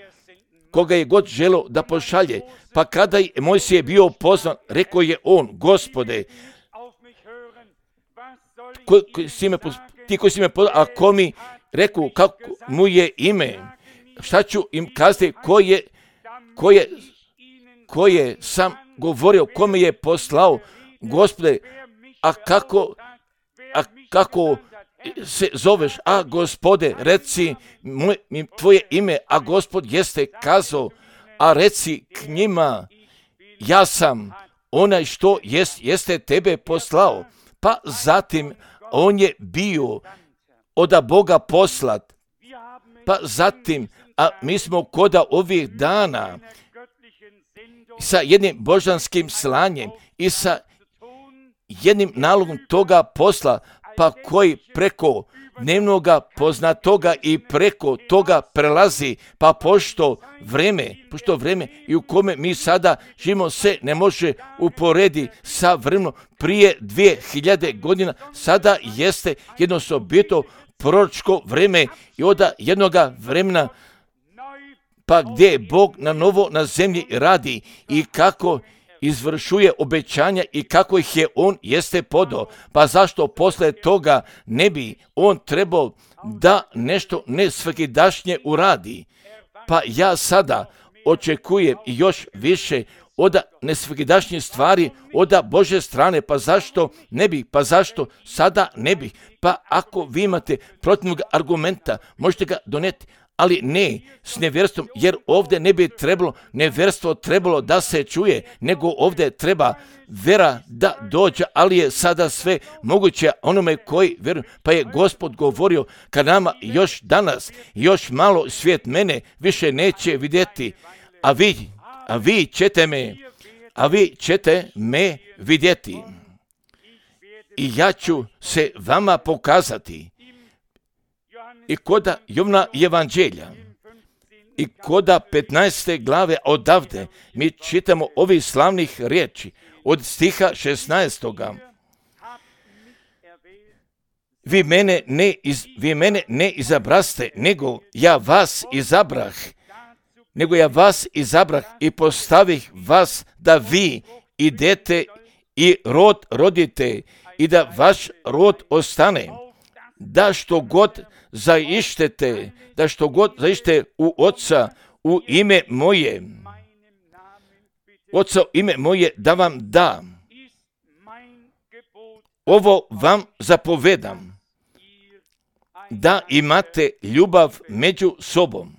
Speaker 1: koga je god želo da pošalje. Pa kada je Mojsije bio pozvan, rekao je on, Gospode, ko, ko si me, ti koji si me pozvan, a ko mi rekao kako mu je ime, šta ću im kazati, ko je, ko je, ko je sam govorio, ko me je poslao, Gospode, a kako, a kako se zoveš, a Gospode, reci moj, tvoje ime, a Gospod jeste kazao, a reci k njima, ja sam onaj što jest, jeste tebe poslao. Pa zatim on je bio od Boga poslat, pa zatim, a mi smo koda ovih dana sa jednim božanskim slanjem i sa jednim nalogom toga posla, pa koji preko dnevnoga poznatoga i preko toga prelazi, pa pošto vreme, pošto vreme i u kome mi sada živimo se ne može uporedi sa vremenom prije dvije hiljade godina, sada jeste jedno osobito proročko vreme i od jednoga vremena, pa gdje Bog na novo na zemlji radi i kako izvršuje obećanja i kako ih je on jeste podao. Pa zašto posle toga ne bi on trebao da nešto nesvakidašnje uradi? Pa ja sada očekujem još više od nesvakidašnjih stvari od Božje strane. Pa zašto ne bi? Pa zašto sada ne bi? Pa ako vi imate protivnog argumenta, možete ga doneti, ali ne s nevjerstvom, jer ovdje ne bi trebalo, nevjerstvo trebalo da se čuje, nego ovdje treba vera da dođe, ali je sada sve moguće onome koji vjeruje. Pa je Gospod govorio, kad nama još danas, još malo svijet mene više neće vidjeti, a vi, a vi ćete me, a vi ćete me vidjeti. I ja ću se vama pokazati. I koda Jovna evanđelja, i koda petnaeste glave odavde, mi čitamo ovih slavnih riječi od stiha šesnaestoga. Vi mene ne, iz, vi mene ne izabraste, nego ja vas izabrah, nego ja vas izabrah i postavih vas da vi idete i rod rodite i da vaš rod ostane, da što god zaištete, da što god zaište u Oca u ime moje, Oca u ime moje da vam da. Ovo vam zapovedam, da imate ljubav među sobom.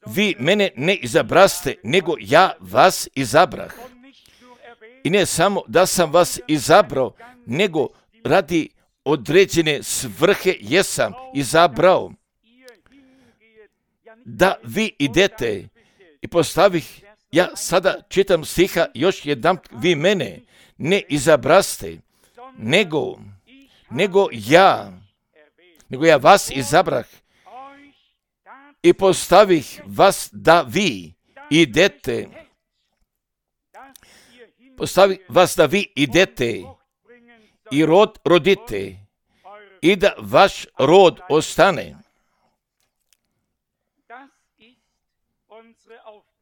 Speaker 1: Vi mene ne izabraste, nego ja vas izabrah. I ne samo da sam vas izabrao, nego radi određene svrhe jesam izabrao. Da vi idete i postavih, ja sada čitam stiha još jedan, vi mene ne izabraste, nego, nego ja, nego ja vas izabrah i postavih vas da vi idete, postavih vas da vi idete i rod rodite i da vaš rod ostane.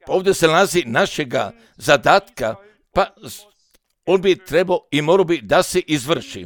Speaker 1: Ovdje se nalazi našega zadatka, pa on bi trebao i morao bi da se izvrši.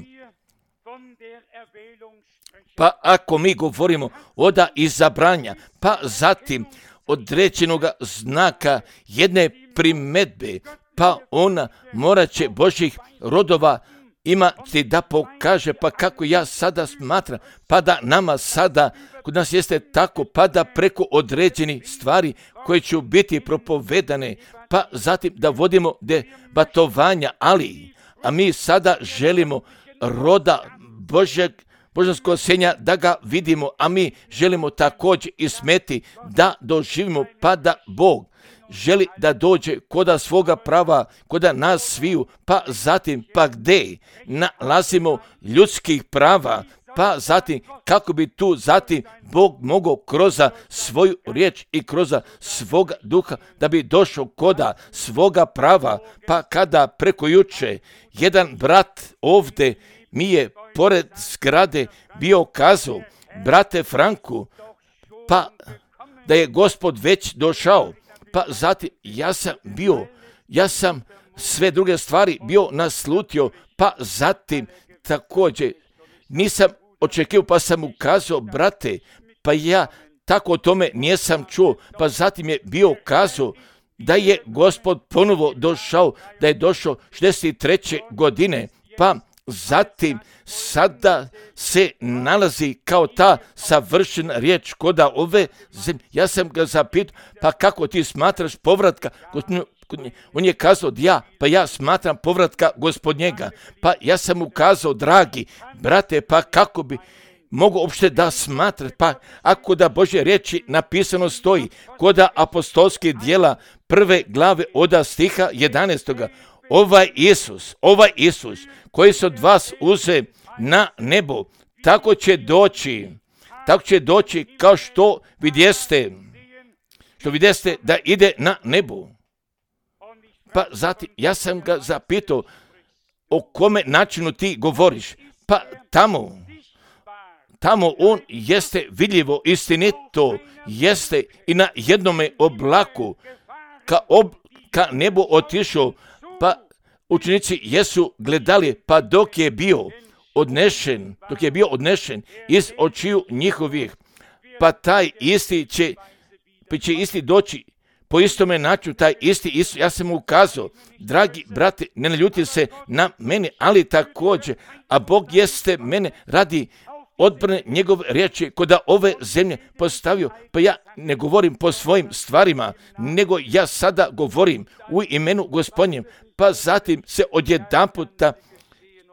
Speaker 1: Pa ako mi govorimo o da izabranja, pa zatim određenog znaka jedne primedbe, pa ona morat će Božjih rodova imati da pokaže, pa kako ja sada smatram, pa da nama sada, kod nas jeste tako, pa da preko određenih stvari koje će biti propovedane, pa zatim da vodimo debatovanja, ali, a mi sada želimo roda Božeg, božanskog senja da ga vidimo, a mi želimo također i smeti da doživimo, pa da Bog želi da dođe koda svoga prava, koda nas sviju, pa zatim pa gdje nalazimo ljudskih prava, pa zatim kako bi tu zatim Bog mogao kroz svoju riječ i kroz svoga duha da bi došao koda svoga prava, pa kada preko juče jedan brat ovdje mi je pored zgrade bio kazao, brate Franku, pa da je Gospod već došao. Pa zatim ja sam bio, ja sam sve druge stvari bio naslutio, pa zatim također nisam očekivao, pa sam mu kazao, brate, pa ja tako o tome nisam čuo, pa zatim je bio kazao da je Gospod ponovo došao, da je došao šezdeset treće godine, pa zatim sada se nalazi kao ta savršena riječ koda ove zemlje. Ja sam ga zapitao, pa kako ti smatraš povratka? On je kazao, ja, pa ja smatram povratka Gospodnjega. Pa ja sam mu kazao, dragi brate, pa kako bi mogu uopšte da smatrati, pa ako da Božje riječi napisano stoji, koda apostolske djela prve glave od stiha jedanaestoga. Ovaj Isus, ovaj Isus koji se od vas uze na nebo, tako će doći, tako će doći kao što vidjeste, što vidjeste da ide na nebo. Pa zatim, ja sam ga zapitao, o kome načinu ti govoriš? Pa tamo, tamo on jeste vidljivo, istinito, jeste i na jednome oblaku, ka, ob, ka nebu otišao, pa učenici jesu gledali, pa dok je bio odnešen, dok je bio odnešen iz očiju njihovih, pa taj isti će, pa će isti doći po istome načinu, taj isti Isus. Ja sam mu ukazao, dragi brate, ne ljuti se na mene, ali također, a Bog jeste mene radi odbrane njegove riječi kod ove zemlje postavio, pa ja ne govorim po svojim stvarima, nego ja sada govorim u imenu Gospodnjem, pa zatim se odjedanputa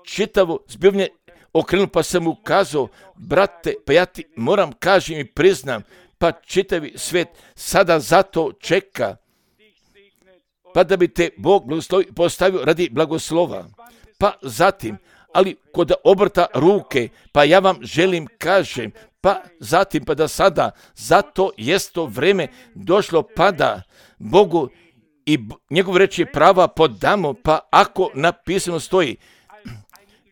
Speaker 1: čitavo zbivanje okrenuo, pa sam mu kazao, brate, pa ja ti moram kažem i priznam, pa čitavi svijet sada zato čeka, pa da bi te Bog blagoslovio postavio radi blagoslova. Pa zatim, ali kod obrta ruke, pa ja vam želim kažem, pa zatim, pa da sada, zato jest to vreme došlo, pa da Bogu i njegov reči prava podamo, pa ako napisano stoji,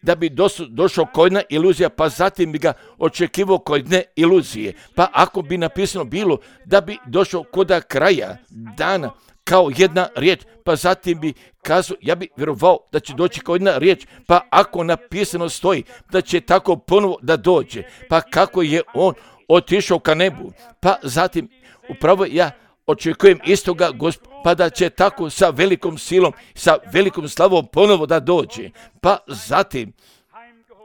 Speaker 1: da bi došao kod jedna iluzija, pa zatim bi ga očekivao kod jedne iluzije. Pa ako bi napisano bilo da bi došao kod kraja dana kao jedna riječ, pa zatim bi kazao, ja bi vjerovao da će doći kao jedna riječ, pa ako napisano stoji da će tako ponovo da dođe, pa kako je on otišao ka nebu, pa zatim upravo ja očekujem istoga Gospoda, pa da će tako sa velikom silom, sa velikom slavom ponovo da dođe, pa zatim,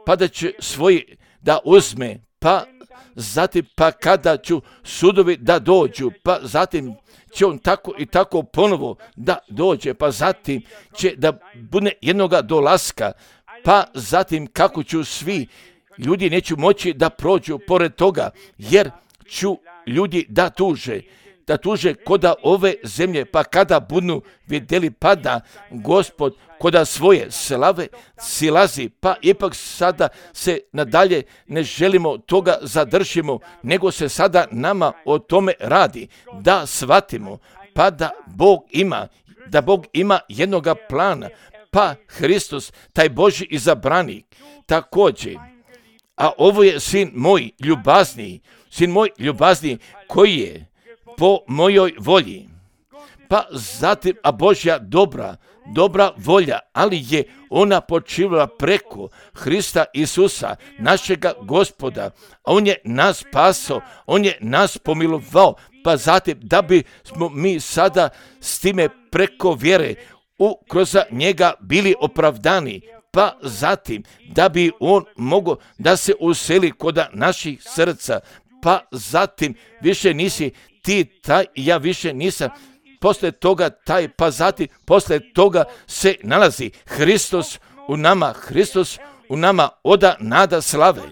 Speaker 1: pa da će svoji da uzme, pa zatim, pa kada ću sudovi da dođu, pa zatim će on tako i tako ponovo da dođe, pa zatim će da bude jednoga dolaska, pa zatim kako ću svi ljudi neću moći da prođu pored toga, jer ću ljudi da tuže, da tuže koda ove zemlje, pa kada budu vidjeli pada Gospod koda svoje slave silazi, pa ipak sada se nadalje ne želimo toga zadržimo, nego se sada nama o tome radi, da shvatimo, pa da Bog ima, da Bog ima jednoga plana, pa Hristos, taj Božji izabranik, također, a ovo je sin moj ljubazniji, sin moj ljubazniji koji je po mojoj volji. Pa zatim, a Božja dobra, dobra volja, ali je ona počivala preko Hrista Isusa, našega Gospoda, a on je nas spasao, on je nas pomilovao, pa zatim da bi smo mi sada s time preko vjere u, kroz njega bili opravdani, pa zatim da bi on mogao da se useli kod naših srca, pa zatim više nisi ti taj, ja više nisam, posle toga taj, pa zatim posle toga se nalazi Hristos u nama, Hristos u nama oda nada slave,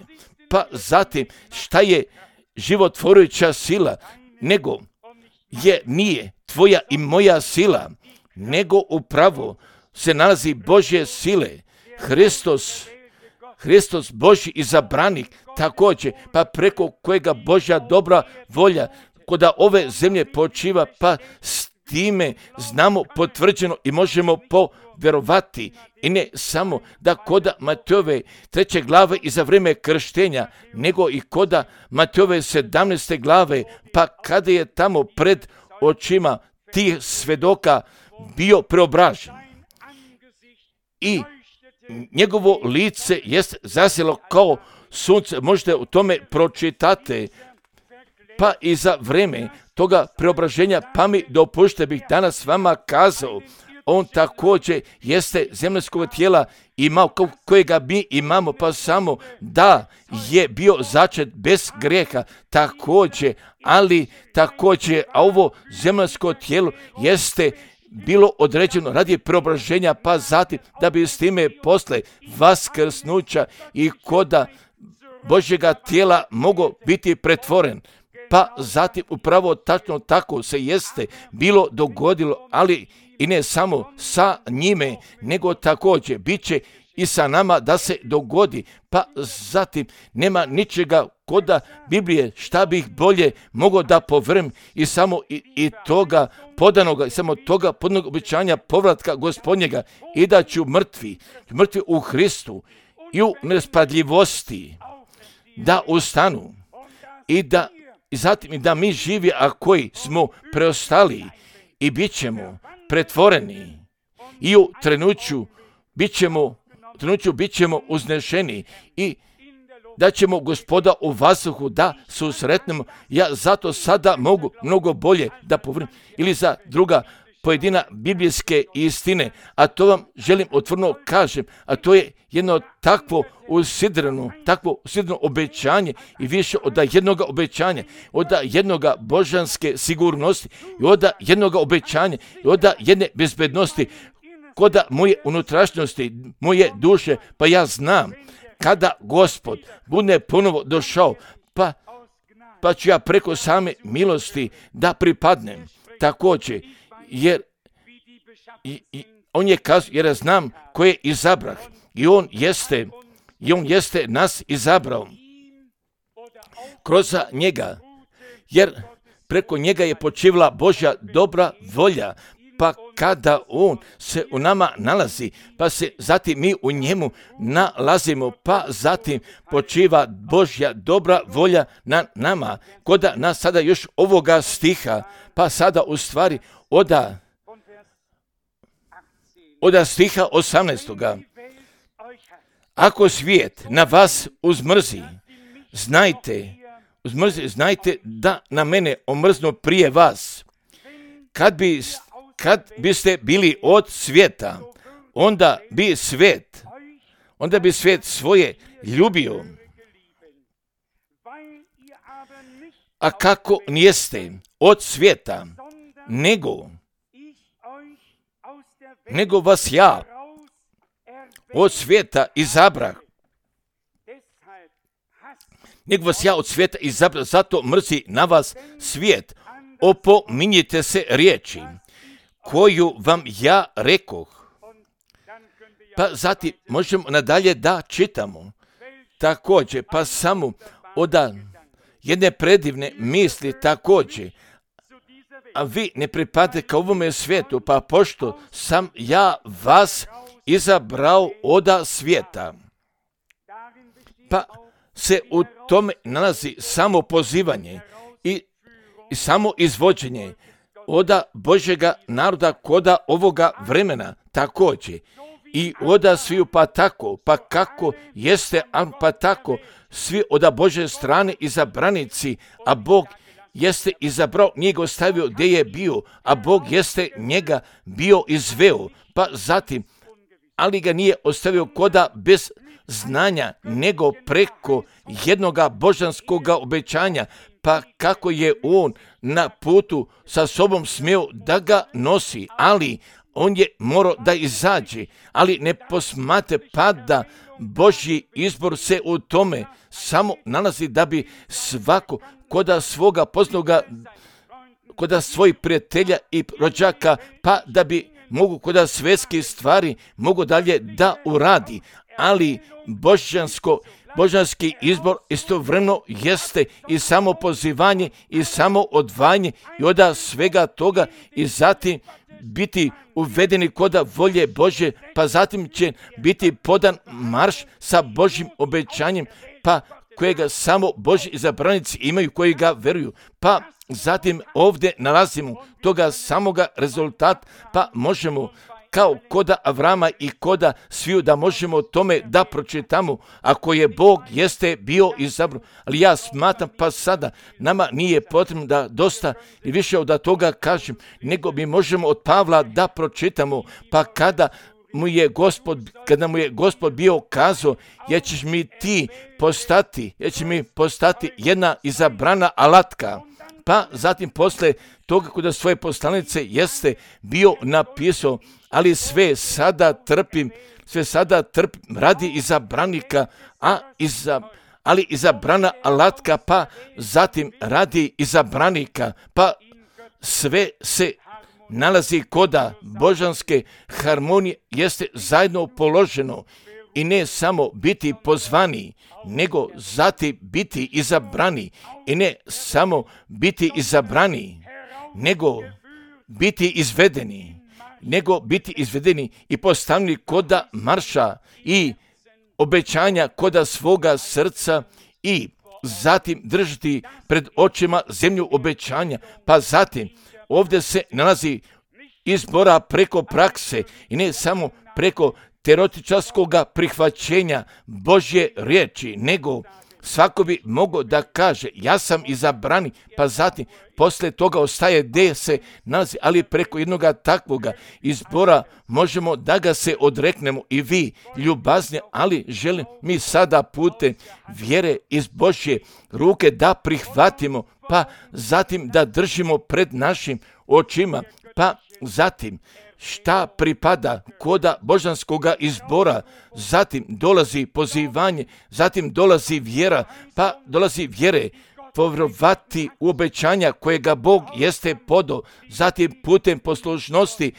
Speaker 1: pa zatim šta je životvorujuća sila, nego je nije tvoja i moja sila, nego upravo se nalazi Božje sile, Hristos, Hristos Božji izabranik, također, pa preko kojega Božja dobra volja koda ove zemlje počiva, pa s time znamo potvrđeno i možemo povjerovati. I ne samo da koda Matejove treće glave i za vrijeme krštenja, nego i koda Matejove sedamnaeste glave, pa kada je tamo pred očima tih svedoka bio preobražen. I njegovo lice jest zasjelo kao sunce, možete u tome pročitati, pa i za vrijeme toga preobraženja, pa mi dopušte bih danas vama kazao, on također jeste zemaljskog tijela imao, kojega mi imamo, pa samo da je bio začet bez grijeha, također, ali također, a ovo zemaljsko tijelo jeste bilo određeno radi preobraženja, pa zatim da bi s time posle vaskrsnuća i koda Božjega tijela mogao biti pretvoren. Pa zatim upravo tačno tako se jeste bilo dogodilo, ali i ne samo sa njime, nego također bit će i sa nama da se dogodi. Pa zatim nema ničega koda Biblije šta bih bolje mogao da povrem i samo i, i toga podanoga, i samo toga podanog obećanja povratka Gospodnjega, i da ću mrtvi, mrtvi u Hristu i u nespadljivosti da ustanu i da i zatim i da mi živi, a koji smo preostali i bit ćemo pretvoreni i u trenuću bit ćemo, trenuću bit ćemo uznešeni i da ćemo Gospoda u vazduhu da susretnemo. Ja zato sada mogu mnogo bolje da povrem ili za druga pojedina biblijske istine, a to vam želim otvoreno kažem, a to je jedno takvo usidreno, takvo usidreno obećanje i više od jednoga obećanja, od jednoga božanske sigurnosti i od jednoga obećanja i od jedne bezbednosti kod moje unutrašnjosti, moje duše, pa ja znam kada Gospod bude ponovo došao, pa, pa ću ja preko same milosti da pripadnem također, jer i, i, on je kazao, jer ja znam ko je izabrah i on jeste, i on jeste nas izabrao kroz njega, jer preko njega je počivila Božja dobra volja, pa kada on se u nama nalazi, pa se zatim mi u njemu nalazimo, pa zatim počiva Božja dobra volja na nama. Koda nas sada još ovoga stiha, pa sada u stvari oda, oda stiha osamnaestoga. Ako svijet na vas uzmrzi, znajte, uzmrzi, znajte da na mene omrznu prije vas. Kad bi Kad biste bili od svijeta, onda bi svijet, onda bi svijet svoje ljubio. A kako nijeste od svijeta, nego, nego vas ja od svijeta izabrah. Nego vas ja od svijeta izabrah, zato mrzi na vas svijet. Opominjite se riječi koju vam ja rekoh. Pa zatim možemo nadalje da čitamo. Također, pa samo od jedne predivne misli također. A vi ne pripadate ka ovome svijetu, pa pošto sam ja vas izabrao od svijeta. Pa se u tome nalazi samo pozivanje i, i samo izvođenje oda Božjega naroda koda ovoga vremena također. I oda sviju pa tako, pa kako jeste, pa tako svi oda Božje strane izabranici, a Bog jeste izabrao, nije ga ostavio gdje je bio, a Bog jeste njega bio izveo, pa zatim, ali ga nije ostavio koda bez znanja, nego preko jednoga božanskoga obećanja, pa kako je on na putu sa sobom smio da ga nosi, ali on je morao da izađe, ali ne posmate pa da Božji izbor se u tome samo nalazi da bi svako koda svoga poznaga, koda svojih prijatelja i rođaka, pa da bi mogu koda svetske stvari mogu dalje da uradi, ali božansko Božanski izbor istovremeno jeste i samo pozivanje i samo odvajanje i od svega toga i zatim biti uvedeni koda volje Božje, pa zatim će biti podan marš sa Božjim obećanjem, pa kojega samo Božji izabranici imaju koji ga veruju. Pa zatim ovdje nalazimo toga samoga rezultat, pa možemo kao koda Avrama i koda sviju da možemo tome da pročitamo, ako je Bog jeste bio izabrao. Ali ja smatram pa sada nama nije potrebno da dosta i više od toga kažem, nego mi možemo od Pavla da pročitamo, pa kada mu je Gospod, kada mu je Gospod bio kazao, jer ćeš mi ti postati, jer će mi postati jedna izabrana alatka. Pa zatim posle toga kod svoje poslanice jeste bio napisao, ali sve sada trpim, sve sada trpim radi izabranika, a iza, ali izabrana alatka, pa zatim radi izabranika, pa sve se nalazi koda božanske harmonije jeste zajedno položeno i ne samo biti pozvani, nego zatim biti izabrani i ne samo biti izabrani, nego biti izvedeni, nego biti izvedeni i postavljeni koda marša i obećanja koda svoga srca i zatim držati pred očima zemlju obećanja, pa zatim ovdje se nalazi izbora preko prakse i ne samo preko teoretičarskog prihvaćenja Božje riječi, nego Svako bi mogao da kaže, ja sam izabrani, pa zatim poslije toga ostaje gdje se nalazi, ali preko jednoga takvoga izbora možemo da ga se odreknemo i vi, ljubazni, ali želim mi sada putem vjere iz Božje ruke da prihvatimo, pa zatim da držimo pred našim očima, pa zatim šta pripada koda božanskoga izbora, zatim dolazi pozivanje, zatim dolazi vjera, pa dolazi vjere, povjerovati u obećanja kojega Bog jeste podao, zatim putem poslušnosti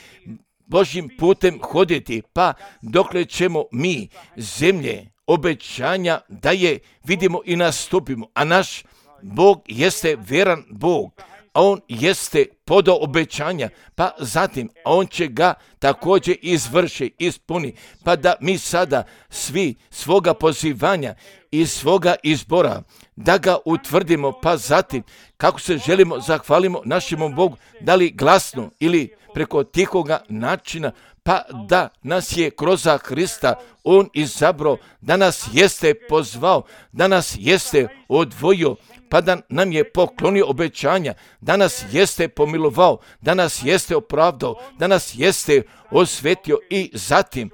Speaker 1: Božjim putem hoditi, pa dokle ćemo mi zemlje obećanja da je vidimo i nastupimo, a naš Bog jeste vjeran Bog, a on jeste podao obećanja, pa zatim on će ga također izvrši, ispuni, pa da mi sada svi svoga pozivanja i svoga izbora, da ga utvrdimo, pa zatim kako se želimo zahvalimo našemu Bogu, da li glasno ili preko tihoga načina, pa da nas je kroz Hrista on izabrao, da nas jeste pozvao, da nas jeste odvojio, pa da nam je poklonio obećanja, da nas jeste pomilovao, da nas jeste opravdao, da nas jeste osvetio i zatim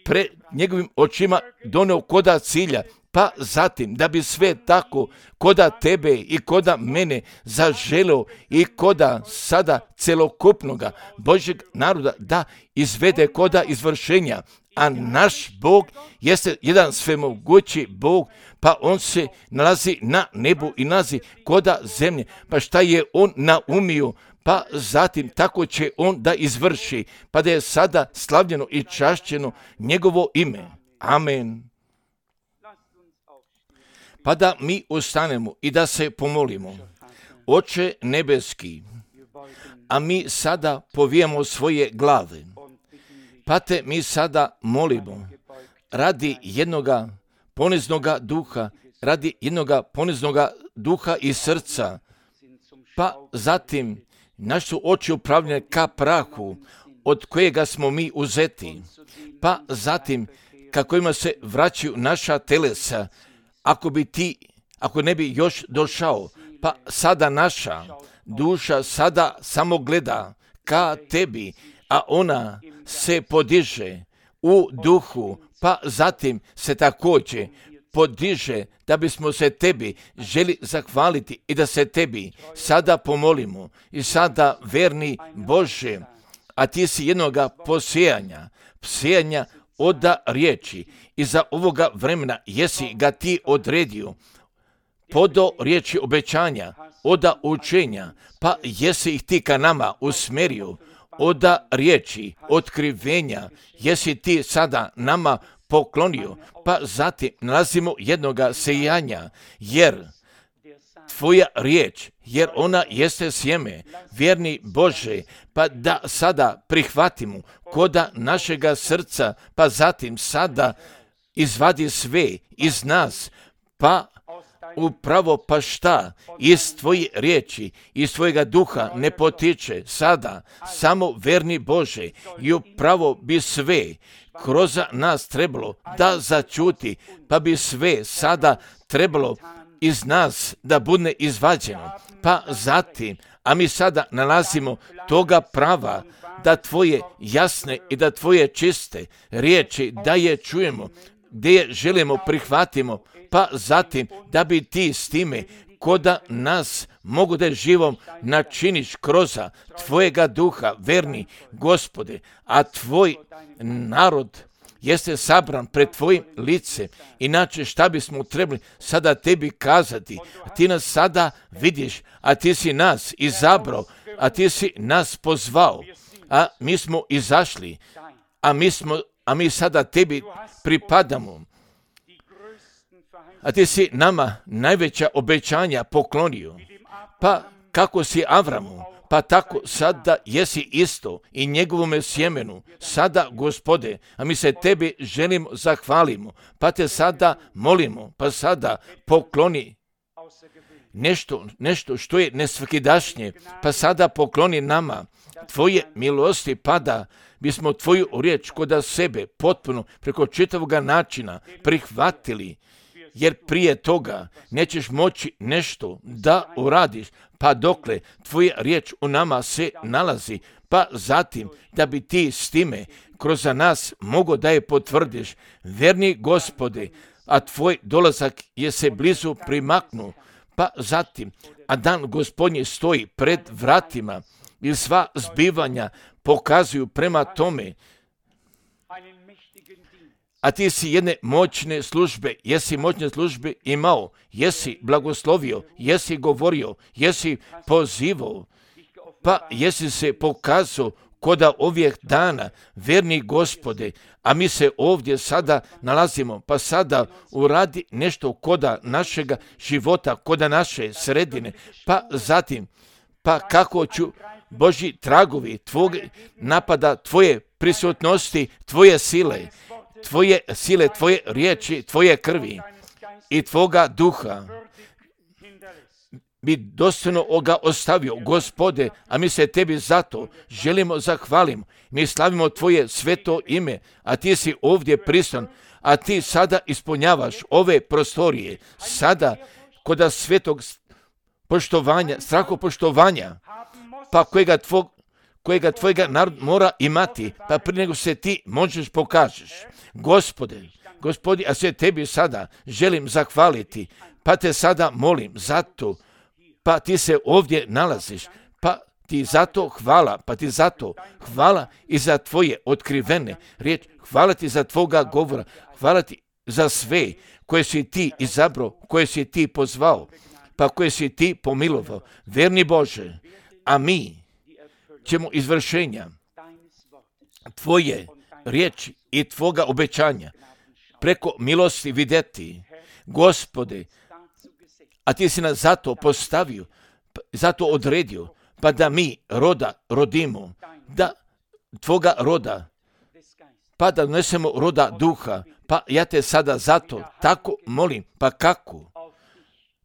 Speaker 1: pred njegovim očima doneo koda cilja, pa zatim da bi sve tako koda tebe i koda mene zaželeo i koda sada celokupnoga Božjeg naroda da izvede koda izvršenja. A naš Bog jeste jedan svemogući Bog, pa on se nalazi na nebu i nalazi koda zemlje, pa šta je on naumio, pa zatim tako će on da izvrši, pa da je sada slavljeno i čašćeno njegovo ime. Amen. Pa da mi ustanemo i da se pomolimo. Oče nebeski, a mi sada povijamo svoje glave, pa te mi sada molimo radi jednoga poniznoga duha, radi jednoga poniznoga duha i srca, pa zatim naše su oči upravljene ka prahu, od kojega smo mi uzeti, pa zatim kako ima se vraćaju naša telesa, ako bi ti, ako ne bi još došao, pa sada naša duša sada samo gleda ka tebi, a ona se podiže u duhu, pa zatim se također podiže da bismo se tebi želi zahvaliti i da se tebi sada pomolimo. I sada, verni Bože, a ti si jednoga posijanja, posijanja oda riječi i za ovoga vremena jesi ga ti odredio, podo riječi obećanja, oda učenja, pa jesi ih ti ka nama usmerio, oda riječi otkrivenja, jesi ti sada nama poklonio, pa zatim nalazimo jednoga sejanja, jer tvoja riječ, jer ona jeste sjeme, vjerni Bože, pa da sada prihvatimo koda našega srca, pa zatim sada izvadi sve iz nas, pa upravo pa šta iz tvoje riječi, iz tvojega duha ne potiče sada, samo verni Bože, i upravo bi sve kroz nas trebalo da začuti, pa bi sve sada trebalo iz nas da bude izvađeno, pa zatim, a mi sada nalazimo toga prava da tvoje jasne i da tvoje čiste riječi da je čujemo, gdje je želimo prihvatimo, pa zatim da bi ti s time koda nas mogu da živom načiniš kroz tvojega duha, verni Gospode, a tvoj narod jeste sabran pred tvojim licem. Inače šta bismo trebali sada tebi kazati? A ti nas sada vidiš, a ti si nas izabrao, a ti si nas pozvao, a mi smo izašli, a mi, smo, a mi sada tebi pripadamo. A ti si nama najveća obećanja poklonio. Pa kako si Avramu, pa tako sada jesi isto i njegovome sjemenu. Sada, Gospode, a mi se tebi želimo zahvalimo, pa te sada molimo, pa sada pokloni nešto, nešto što je nesvakidašnje, pa sada pokloni nama tvoje milosti, pa da bismo tvoju riječ koda sebe potpuno preko čitavoga načina prihvatili jer prije toga nećeš moći nešto da uradiš, pa dokle tvoja riječ u nama se nalazi, pa zatim da bi ti s time kroz nas mogo da je potvrdiš, verni Gospode, a tvoj dolazak je se blizu primaknu, pa zatim, a dan Gospodnji stoji pred vratima i sva zbivanja pokazuju prema tome, a ti si jedne moćne službe, jesi moćne službe imao, jesi blagoslovio, jesi govorio, jesi pozivao, pa jesi se pokazao koda ovih dana, verni Gospode, a mi se ovdje sada nalazimo, pa sada uradi nešto koda našega života, koda naše sredine, pa zatim, pa kako ću Božji tragovi tvog napada, tvoje prisutnosti, tvoje sile, tvoje sile, tvoje riječi, tvoje krvi i tvoga duha bi dostojno ga ostavio, Gospode, a mi se tebi zato želimo zahvalimo. Mi slavimo tvoje sveto ime, a ti si ovdje prisutan, a ti sada ispunjavaš ove prostorije, sada koda svetog poštovanja, strahopoštovanja, pa kojega, tvog, kojega tvojega narod mora imati, pa prije nego se ti možeš pokažeš. Gospode, Gospodi, a se tebi sada želim zahvaliti, pa te sada molim zato, pa ti se ovdje nalaziš, pa ti zato hvala, pa ti zato hvala i za tvoje otkrivene riječi, hvala ti za tvoga govora, hvala ti za sve koje si ti izabrao, koje si ti pozvao, pa koje si ti pomilovao, verni Bože, a mi ćemo izvršenja tvoje riječi i tvoga obećanja preko milosti vidjeti, Gospode, a ti si nas zato postavio, zato odredio, pa da mi roda rodimo, da tvoga roda, pa da donesemo roda duha, pa ja te sada zato tako molim, pa kako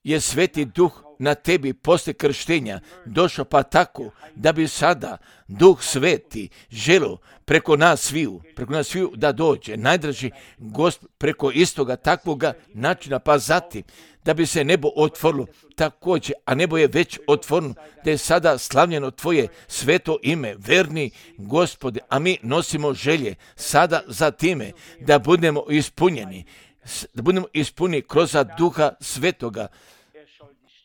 Speaker 1: je Sveti Duh na tebi poslije krštenja došao, pa tako da bi sada Duh Sveti želio preko nas sviju, preko nas sviju da dođe, najdraži Gospod, preko istoga takvoga načina, pa zatim da bi se nebo otvorilo također, a nebo je već otvoreno, da je sada slavljeno tvoje sveto ime, verni Gospode, a mi nosimo želje sada za time da budemo ispunjeni, da budemo ispunjeni kroz Duha Svetoga.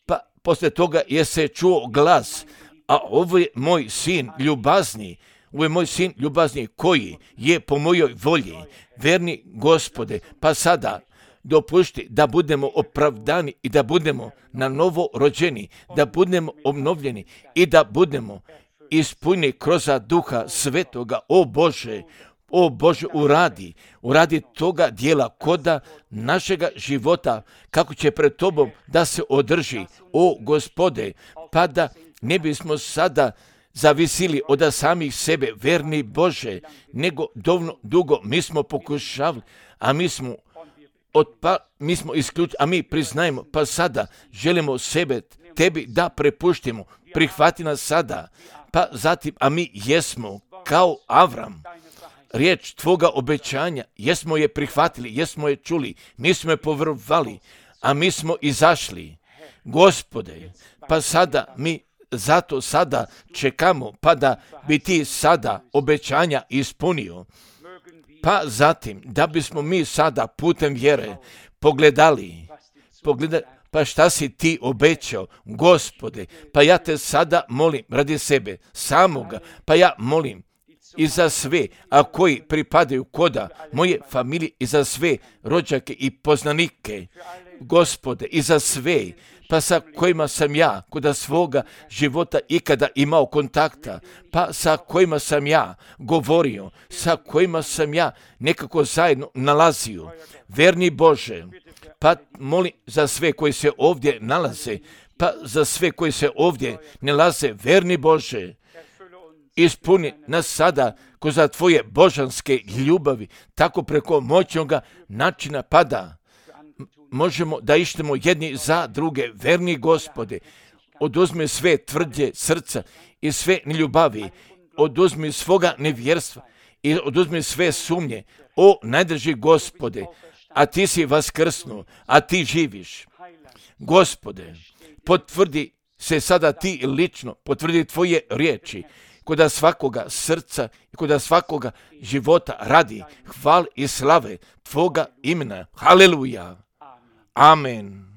Speaker 1: Pa poslije toga je se čuo glas, a ovo je moj sin ljubazni, ovo je moj sin ljubazni koji je po mojoj volji, verni Gospode, pa sada dopušti da budemo opravdani i da budemo na novo rođeni, da budemo obnovljeni i da budemo ispunjeni kroz Duha Svetoga. O Bože, o Bože, uradi, uradi toga dijela koda našega života, kako će pred tobom da se održi, o Gospode, pa da ne bismo sada zavisili od samih sebe, verni Bože, nego dovoljno dugo mi smo pokušavali, a mi smo Od, pa, mi smo isključili, a mi priznajemo, pa sada želimo sebe tebi da prepuštimo, prihvati nas sada, pa zatim, a mi jesmo kao Avram, riječ tvoga obećanja, jesmo je prihvatili, jesmo je čuli, mi smo je povjerovali, a mi smo izašli, Gospode, pa sada mi zato sada čekamo, pa da bi ti sada obećanja ispunio. Pa zatim, da bismo mi sada putem vjere pogledali, pogledali, pa šta si ti obećao, Gospode, pa ja te sada molim radi sebe, samoga, pa ja molim i za sve, a koji pripadaju koda moje familije i za sve rođake i poznanike, Gospode, i za sve, pa sa kojima sam ja koda svoga života ikada imao kontakta, pa sa kojima sam ja govorio, sa kojima sam ja nekako zajedno nalazio. Verni Bože, pa molim za sve koji se ovdje nalaze, pa za sve koji se ovdje nalaze, verni Bože, ispuni nas sada kroz tvoje božanske ljubavi, tako preko moćnoga načina pada. Možemo da ištemo jedni za druge, verni Gospode, oduzmi sve tvrđe srca i sve neljubavi, oduzmi svoga nevjerstva i oduzmi sve sumnje, o najdrži Gospode, a ti si vaskrsnuo, a ti živiš. Gospode, potvrdi se sada ti lično, potvrdi tvoje riječi, koda svakoga srca i koda svakoga života radi hval i slave tvoga imena. Haleluja. Amen.